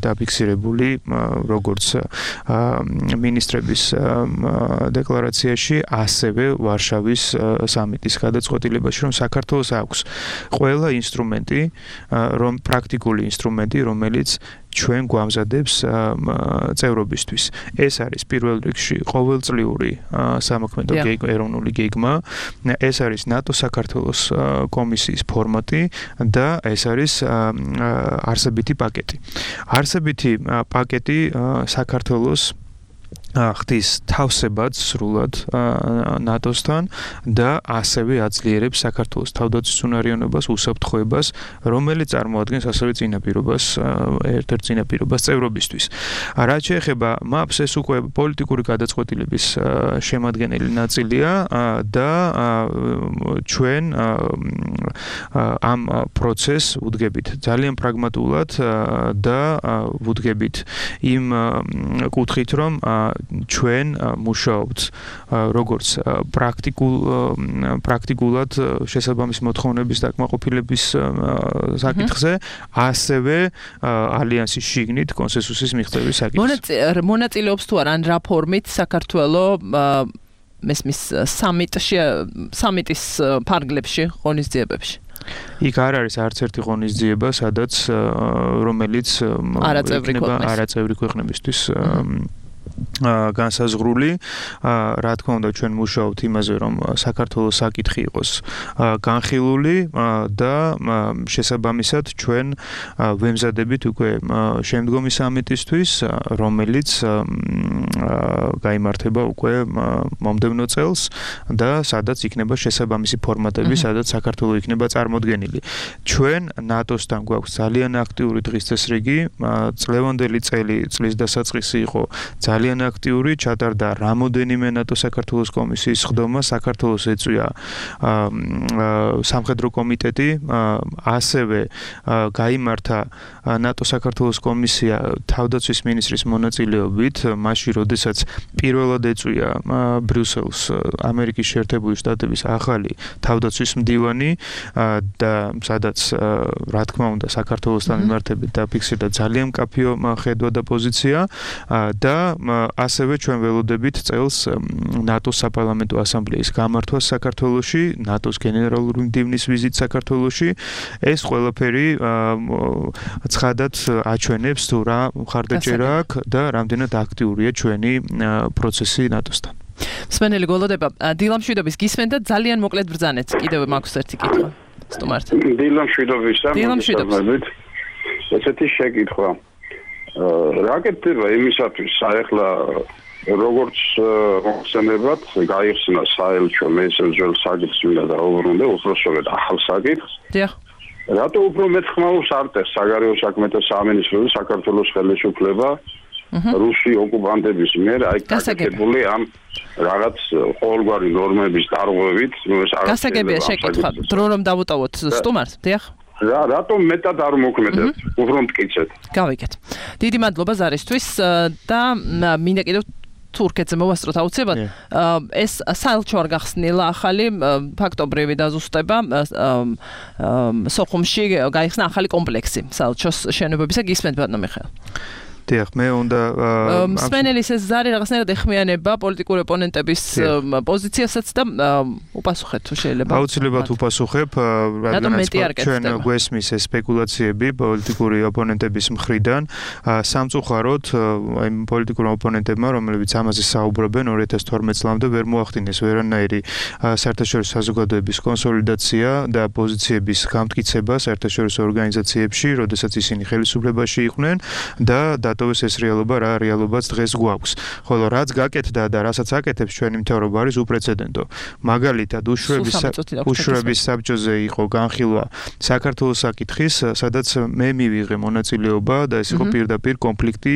დაფიქსირებული როგორც მინისტრების დეკლარაციაში, ასევე ვარშავის სამიტის გადაწყვეტილებაში, რომ საქართველოს აქვს ყველა ინსტრუმენტი, რომ პრაქტიკული ინსტრუმენტი, რომელიც ჩვენ გვამზადებს წევრობისთვის. ეს არის პირველ რიგში ყოველწლიური სამოქმედო ეროვნული გეგმა, ეს არის ნატო საქართველოს კომისიის ფორმატი და ეს არის არსებითი პაკეტი. არსებითი პაკეტი საქართველოს ხდის თავსებადს სრულად ნატოსთან და ასევე აძლიერებს საქართველოს თავდაცვის უნარიანობას, უსაფრთხოებას, რომელიც წარმოადგენს ასევე წინაპირობას, ერთ-ერთ წინაპირობას წევრობისთვის. რაც შეეხება მაპს, ეს უკვე პოლიტიკური გადაწყვეტილების შემადგენელი ნაწილია და ჩვენ ამ პროცესს ვუდგებით ძალიან პრაგმატულად და ვუდგებით იმ კუთხით, რომ ჩვენ მუშაობთ როგორც პრაქტიკულ პრაქტიკულად შესაბამის მოთხოვნების დაკმაყოფილების საკითხზე, ასევე ალიანსის შიგნით კონსენსუსის მიღწევის საკითხზე. მონაწილეობს თუ არა რა ფორმით საქართველოს მესმის სამიტში სამიტის ფარგლებში ღონისძიებებში? იქ არ არის არც ერთი ღონისძიება, სადაც რომელიც არაწევრი ქვეყნებისთვის განსაზღვრული, რა თქმა უნდა ჩვენ მუშაობთ იმაზე, რომ საქართველოს საკითხი იყოს განხილული და შესაბამისად ჩვენ ვემზადებით უკვე შემდგომი სამიტისთვის, რომელიც გაიმართება უკვე მომდევნო წელს და სადაც იქნება შესაბამისი ფორმატები, სადაც საქართველოს იქნება წარმოდგენილი. ჩვენ ნატოსთან გვაქვს ძალიან აქტიური დღის წესრიგი, წლევანდელი წელი წლის დასაწყისი იყო ძალიან აქტიური, ჩატარდა რამოდენიმე ნატო საქართველოს კომისიის ხდომა, საქართველოს ეწვია სამხედრო კომიტეტი, ასევე გაიმართა ნატო საქართველოს კომისია თავდაცვის მინისტრის მონაწილეობით, მაშინ როდესაც პირველად ეწვია ბრიუსელს ამერიკის შეერთებული შტატების ახალი თავდაცვის მდივანი და სადაც რა თქმა უნდა საქართველოსთან მიმართებით დაფიქსირდა ძალიან მკაფიო ხედვა და პოზიცია და ასევე ჩვენ ველოდებით წელს ნატოს საპარლამენტო ასამბლეის გამართვას საქართველოში, ნატოს გენერალური მდივნის ვიზიტს საქართველოში. ეს ყველაფერი ცხადად აჩვენებს თუ რა მხარდაჭერა აქვს და რამდენად აქტიურია ჩვენი პროცესი ნატოსთან. მსმენელი გველოდება დილა მშვიდობის გისმენთ და ძალიან მოკლედ ბრძანეთ. კიდევ მაქვს ერთი კითხვა. სტუმართ. დილა მშვიდობისა. დილა მშვიდობის. ესეთი შეკითხვა. რა გექნება იმისათვის საერთლა როგორც მოხსენებად გაიხსნა საელჩო მესენჯერ საკითხს ვიდა და უბრუნდა უბრალოდ ახალ საკითხს. დიახ. რატო უფრო მეტ ხმაურს არტეს საგარეო საქმეთა სამინისტროს საქართველოს ხელისუფლება რუსი ოკუპანტების მიერ აი გაკეთებული ამ რაღაც ყოველგვარი ნორმების დარღვევით, ნუ ეს არ გასაგებია შეკითხვა. დრო რომ დავუტოვოთ სტუმარს, დიახ. რა რატომ მეტად არ მოქმედებს? უფრო მტკიცეთ. გავიგეთ. დიდი მადლობა ზარისთვის და მინდა კიდევ თურქეთზე მოვასწროთ აუცილებლად. ეს საელჩო არ გახსნილა ახალი ფაქტობრივი დაზუსტება სოხუმში გაიხსნა ახალი კომპლექსი საელჩოს შენობებისა. გისმენთ ბატონო მიხეილ. დიახ, მე უნდა მსმენელის ეს ზარი რაღაცნაირად ეხმიანება პოლიტიკური ოპონენტების პოზიციასაც და უპასუხეთ თუ შეიძლება. აუცილებლად უპასუხებ, რადგანაც ჩვენ გვესმის ეს სპეკულაციები პოლიტიკური ოპონენტების მხრიდან, სამწუხაროდ აი პოლიტიკურ ოპონენტებმა, რომლებიც ამაზე საუბრობენ ორი ათას თორმეტ წლამდე ვერ მოახდინეს ვერანაირი საერთაშორისო საზოგადოების კონსოლიდაცია და პოზიციების გამტკიცება საერთაშორისო ორგანიზაციებში, როდესაც ისინი ხელისუფლებაში იყვნენ და დატოვეს ეს რეალობა, რა რეალობაც დღეს გვაქვს. ხოლო რაც გაკეთდა და რასაც აკეთებს ჩვენი მთავრობა არის უპრეცედენტო. მაგალითად, უშუალების უშუალების საბჭოზე იყო განხილვა საქართველოს საკითხის, სადაც მე მივიღე მონაწილეობა და ეს იყო პირდაპირ კონფლიქტი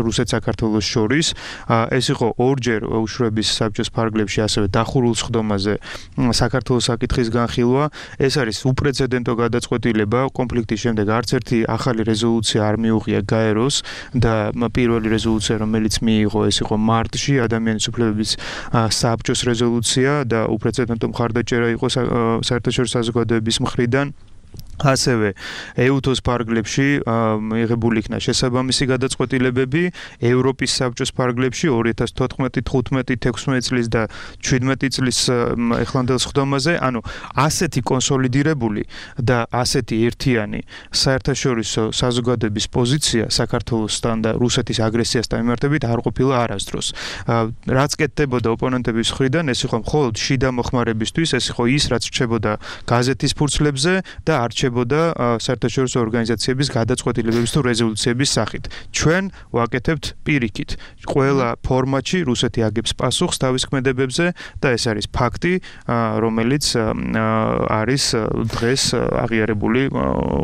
რუსეთ-საქართველოს შორის. ეს იყო ორჯერ უშუალების საბჭოს ფარგლებში, ასევე დახურულ სხდომაზე საქართველოს საკითხის განხილვა. ეს არის უპრეცედენტო გადაწყვეტილება. კონფლიქტის შემდეგ არც ერთი ახალი რეზოლუცია არ მიუღია გაეროს და პირველი რეზოლუცია, რომელიც მიიღო, ეს იყო მარტში ადამიანის უფლებების საბჭოს რეზოლუცია და უპრეცედენტო მხარდაჭერა იყო საერთაშორისო საზოგადოების მხრიდან. ასევე ეუთოს ფარგლებში მიღებული იქნა შესაბამისი გადაწყვეტილებები, ევროპის საბჭოს ფარგლებში ორი ათას თოთხმეტი, თხუთმეტი, თექვსმეტი წლის და შვიდმეტი წლის ეხლანდელ სხდომაზე, ანუ ასეთი კონსოლიდირებული და ასეთი ერთიანი საერთაშორისო საზოგადოების პოზიცია საქართველოსთან და რუსეთის აგრესიასთან მიმართებით არ ყოფილა არასდროს. რაც კეთდებოდა ოპონენტების მხრიდან, ეს იყო მხოლოდ შიდა მოხმარებისთვის, ეს იყო ის, რაც რჩებოდა გაზეთის ფურცლებზე და არ რჩებოდა საერთაშორისო ორგანიზაციების გადაწყვეტილებების თუ რეზოლუციების სახით. ჩვენ ვაკეთებთ პირიქით. ყველა ფორმატში რუსეთი აგებს პასუხს თავის ქმედებებზე და ეს არის ფაქტი, რომელიც არის დღეს აღიარებული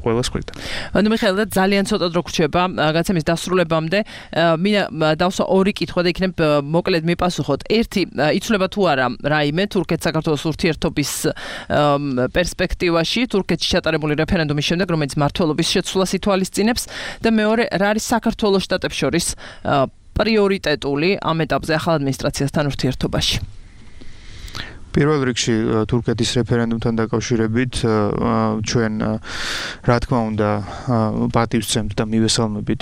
ყველას მხრიდან. ანუ მიხეილ, ძალიან ცოტა დრო გრჩება გაცემის დასრულებამდე. მინდა დავსვა ორი კითხვა და იქნებ მოკლედ მიპასუხოთ. ერთი, იცვლება თუ არა რაიმე თურქეთ-საქართველოს ურთიერთობის პერსპექტივაში, თურქეთში ჩატარებული რეფერენდუმის შემდეგ, რომელიც მმართველობის შეცვლას ითვალისწინებს და მეორე, რა არის საქართველოს შტატებს შორის პრიორიტეტული ამ ეტაპზე ახალ ადმინისტრაციასთან ურთიერთობაში? პირველ რიგში თურქეთის რეფერენდუმთან დაკავშირებით ჩვენ რა თქმა უნდა პატივს ვცემთ და მივესალმებით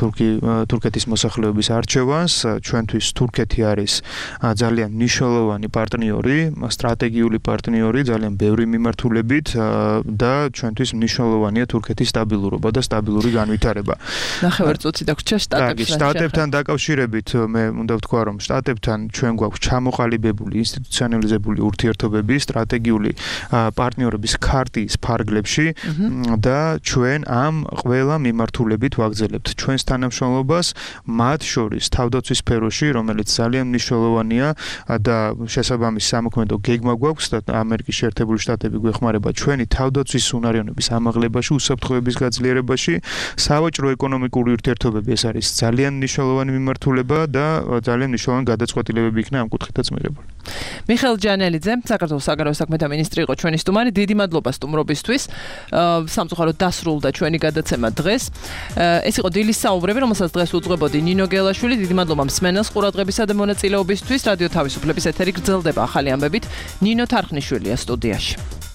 თურქი თურქეთის მოსახლეობის არჩევანს. ჩვენთვის თურქეთი არის ძალიან მნიშვნელოვანი პარტნიორი, სტრატეგიული პარტნიორი, ძალიან ბევრი მიმართულებით და ჩვენთვის მნიშვნელოვანია თურქეთის სტაბილურობა და სტაბილური განვითარება. ნახევარწუთი დაგვრჩა შტატებთან. შტატებთან დაკავშირებით მე უნდა ვთქვა, რომ შტატებთან ჩვენ გვაქვს ჩამოყალიბებული ინსტიტუციონალიზებული ურთიერთობები სტრატეგიული პარტნიორების ქარტის ფარგლებში და ჩვენ ამ ყველა მიმართულებით ვაგრძელებთ ჩვენს თანამშრომლობას, მათ შორის თავდაცვის სფეროში, რომელიც ძალიან მნიშვნელოვანია და შესაბამის სამოქმედო გეგმა გვაქვს და ამერიკის შეერთებული შტატები გვეხმარება ჩვენი თავდაცვის უნარიანობის ამაღლებაში, უსაფრთხოების გაძლიერებაში, სავაჭრო ეკონომიკური ურთიერთობები ეს არის ძალიან მნიშვნელოვანი მიმართულება და ძალიან მნიშვნელოვანი გადაწყვეტილებები იქნა ამ კუთხითაც მიღებული. მიხეილ ჯანელიძე, საქართველოს საგარეო საქმეთა მინისტრი იყო ჩვენი სტუმარი. დიდი მადლობა სტუმრობისთვის. სამწუხაროდ დასრულდა ჩვენი გადაცემა დღეს. ეს იყო დილის საუბრები, რომელსაც დღეს უძღვებოდი ნინო გელაშვილი. დიდი მადლობა მსმენელს ყურადღებისა და მონაწილეობისთვის. რადიო თავისუფლების ეთერი გრძელდება ახალი ამბებით. ნინო თარხნიშვილია სტუდიაში.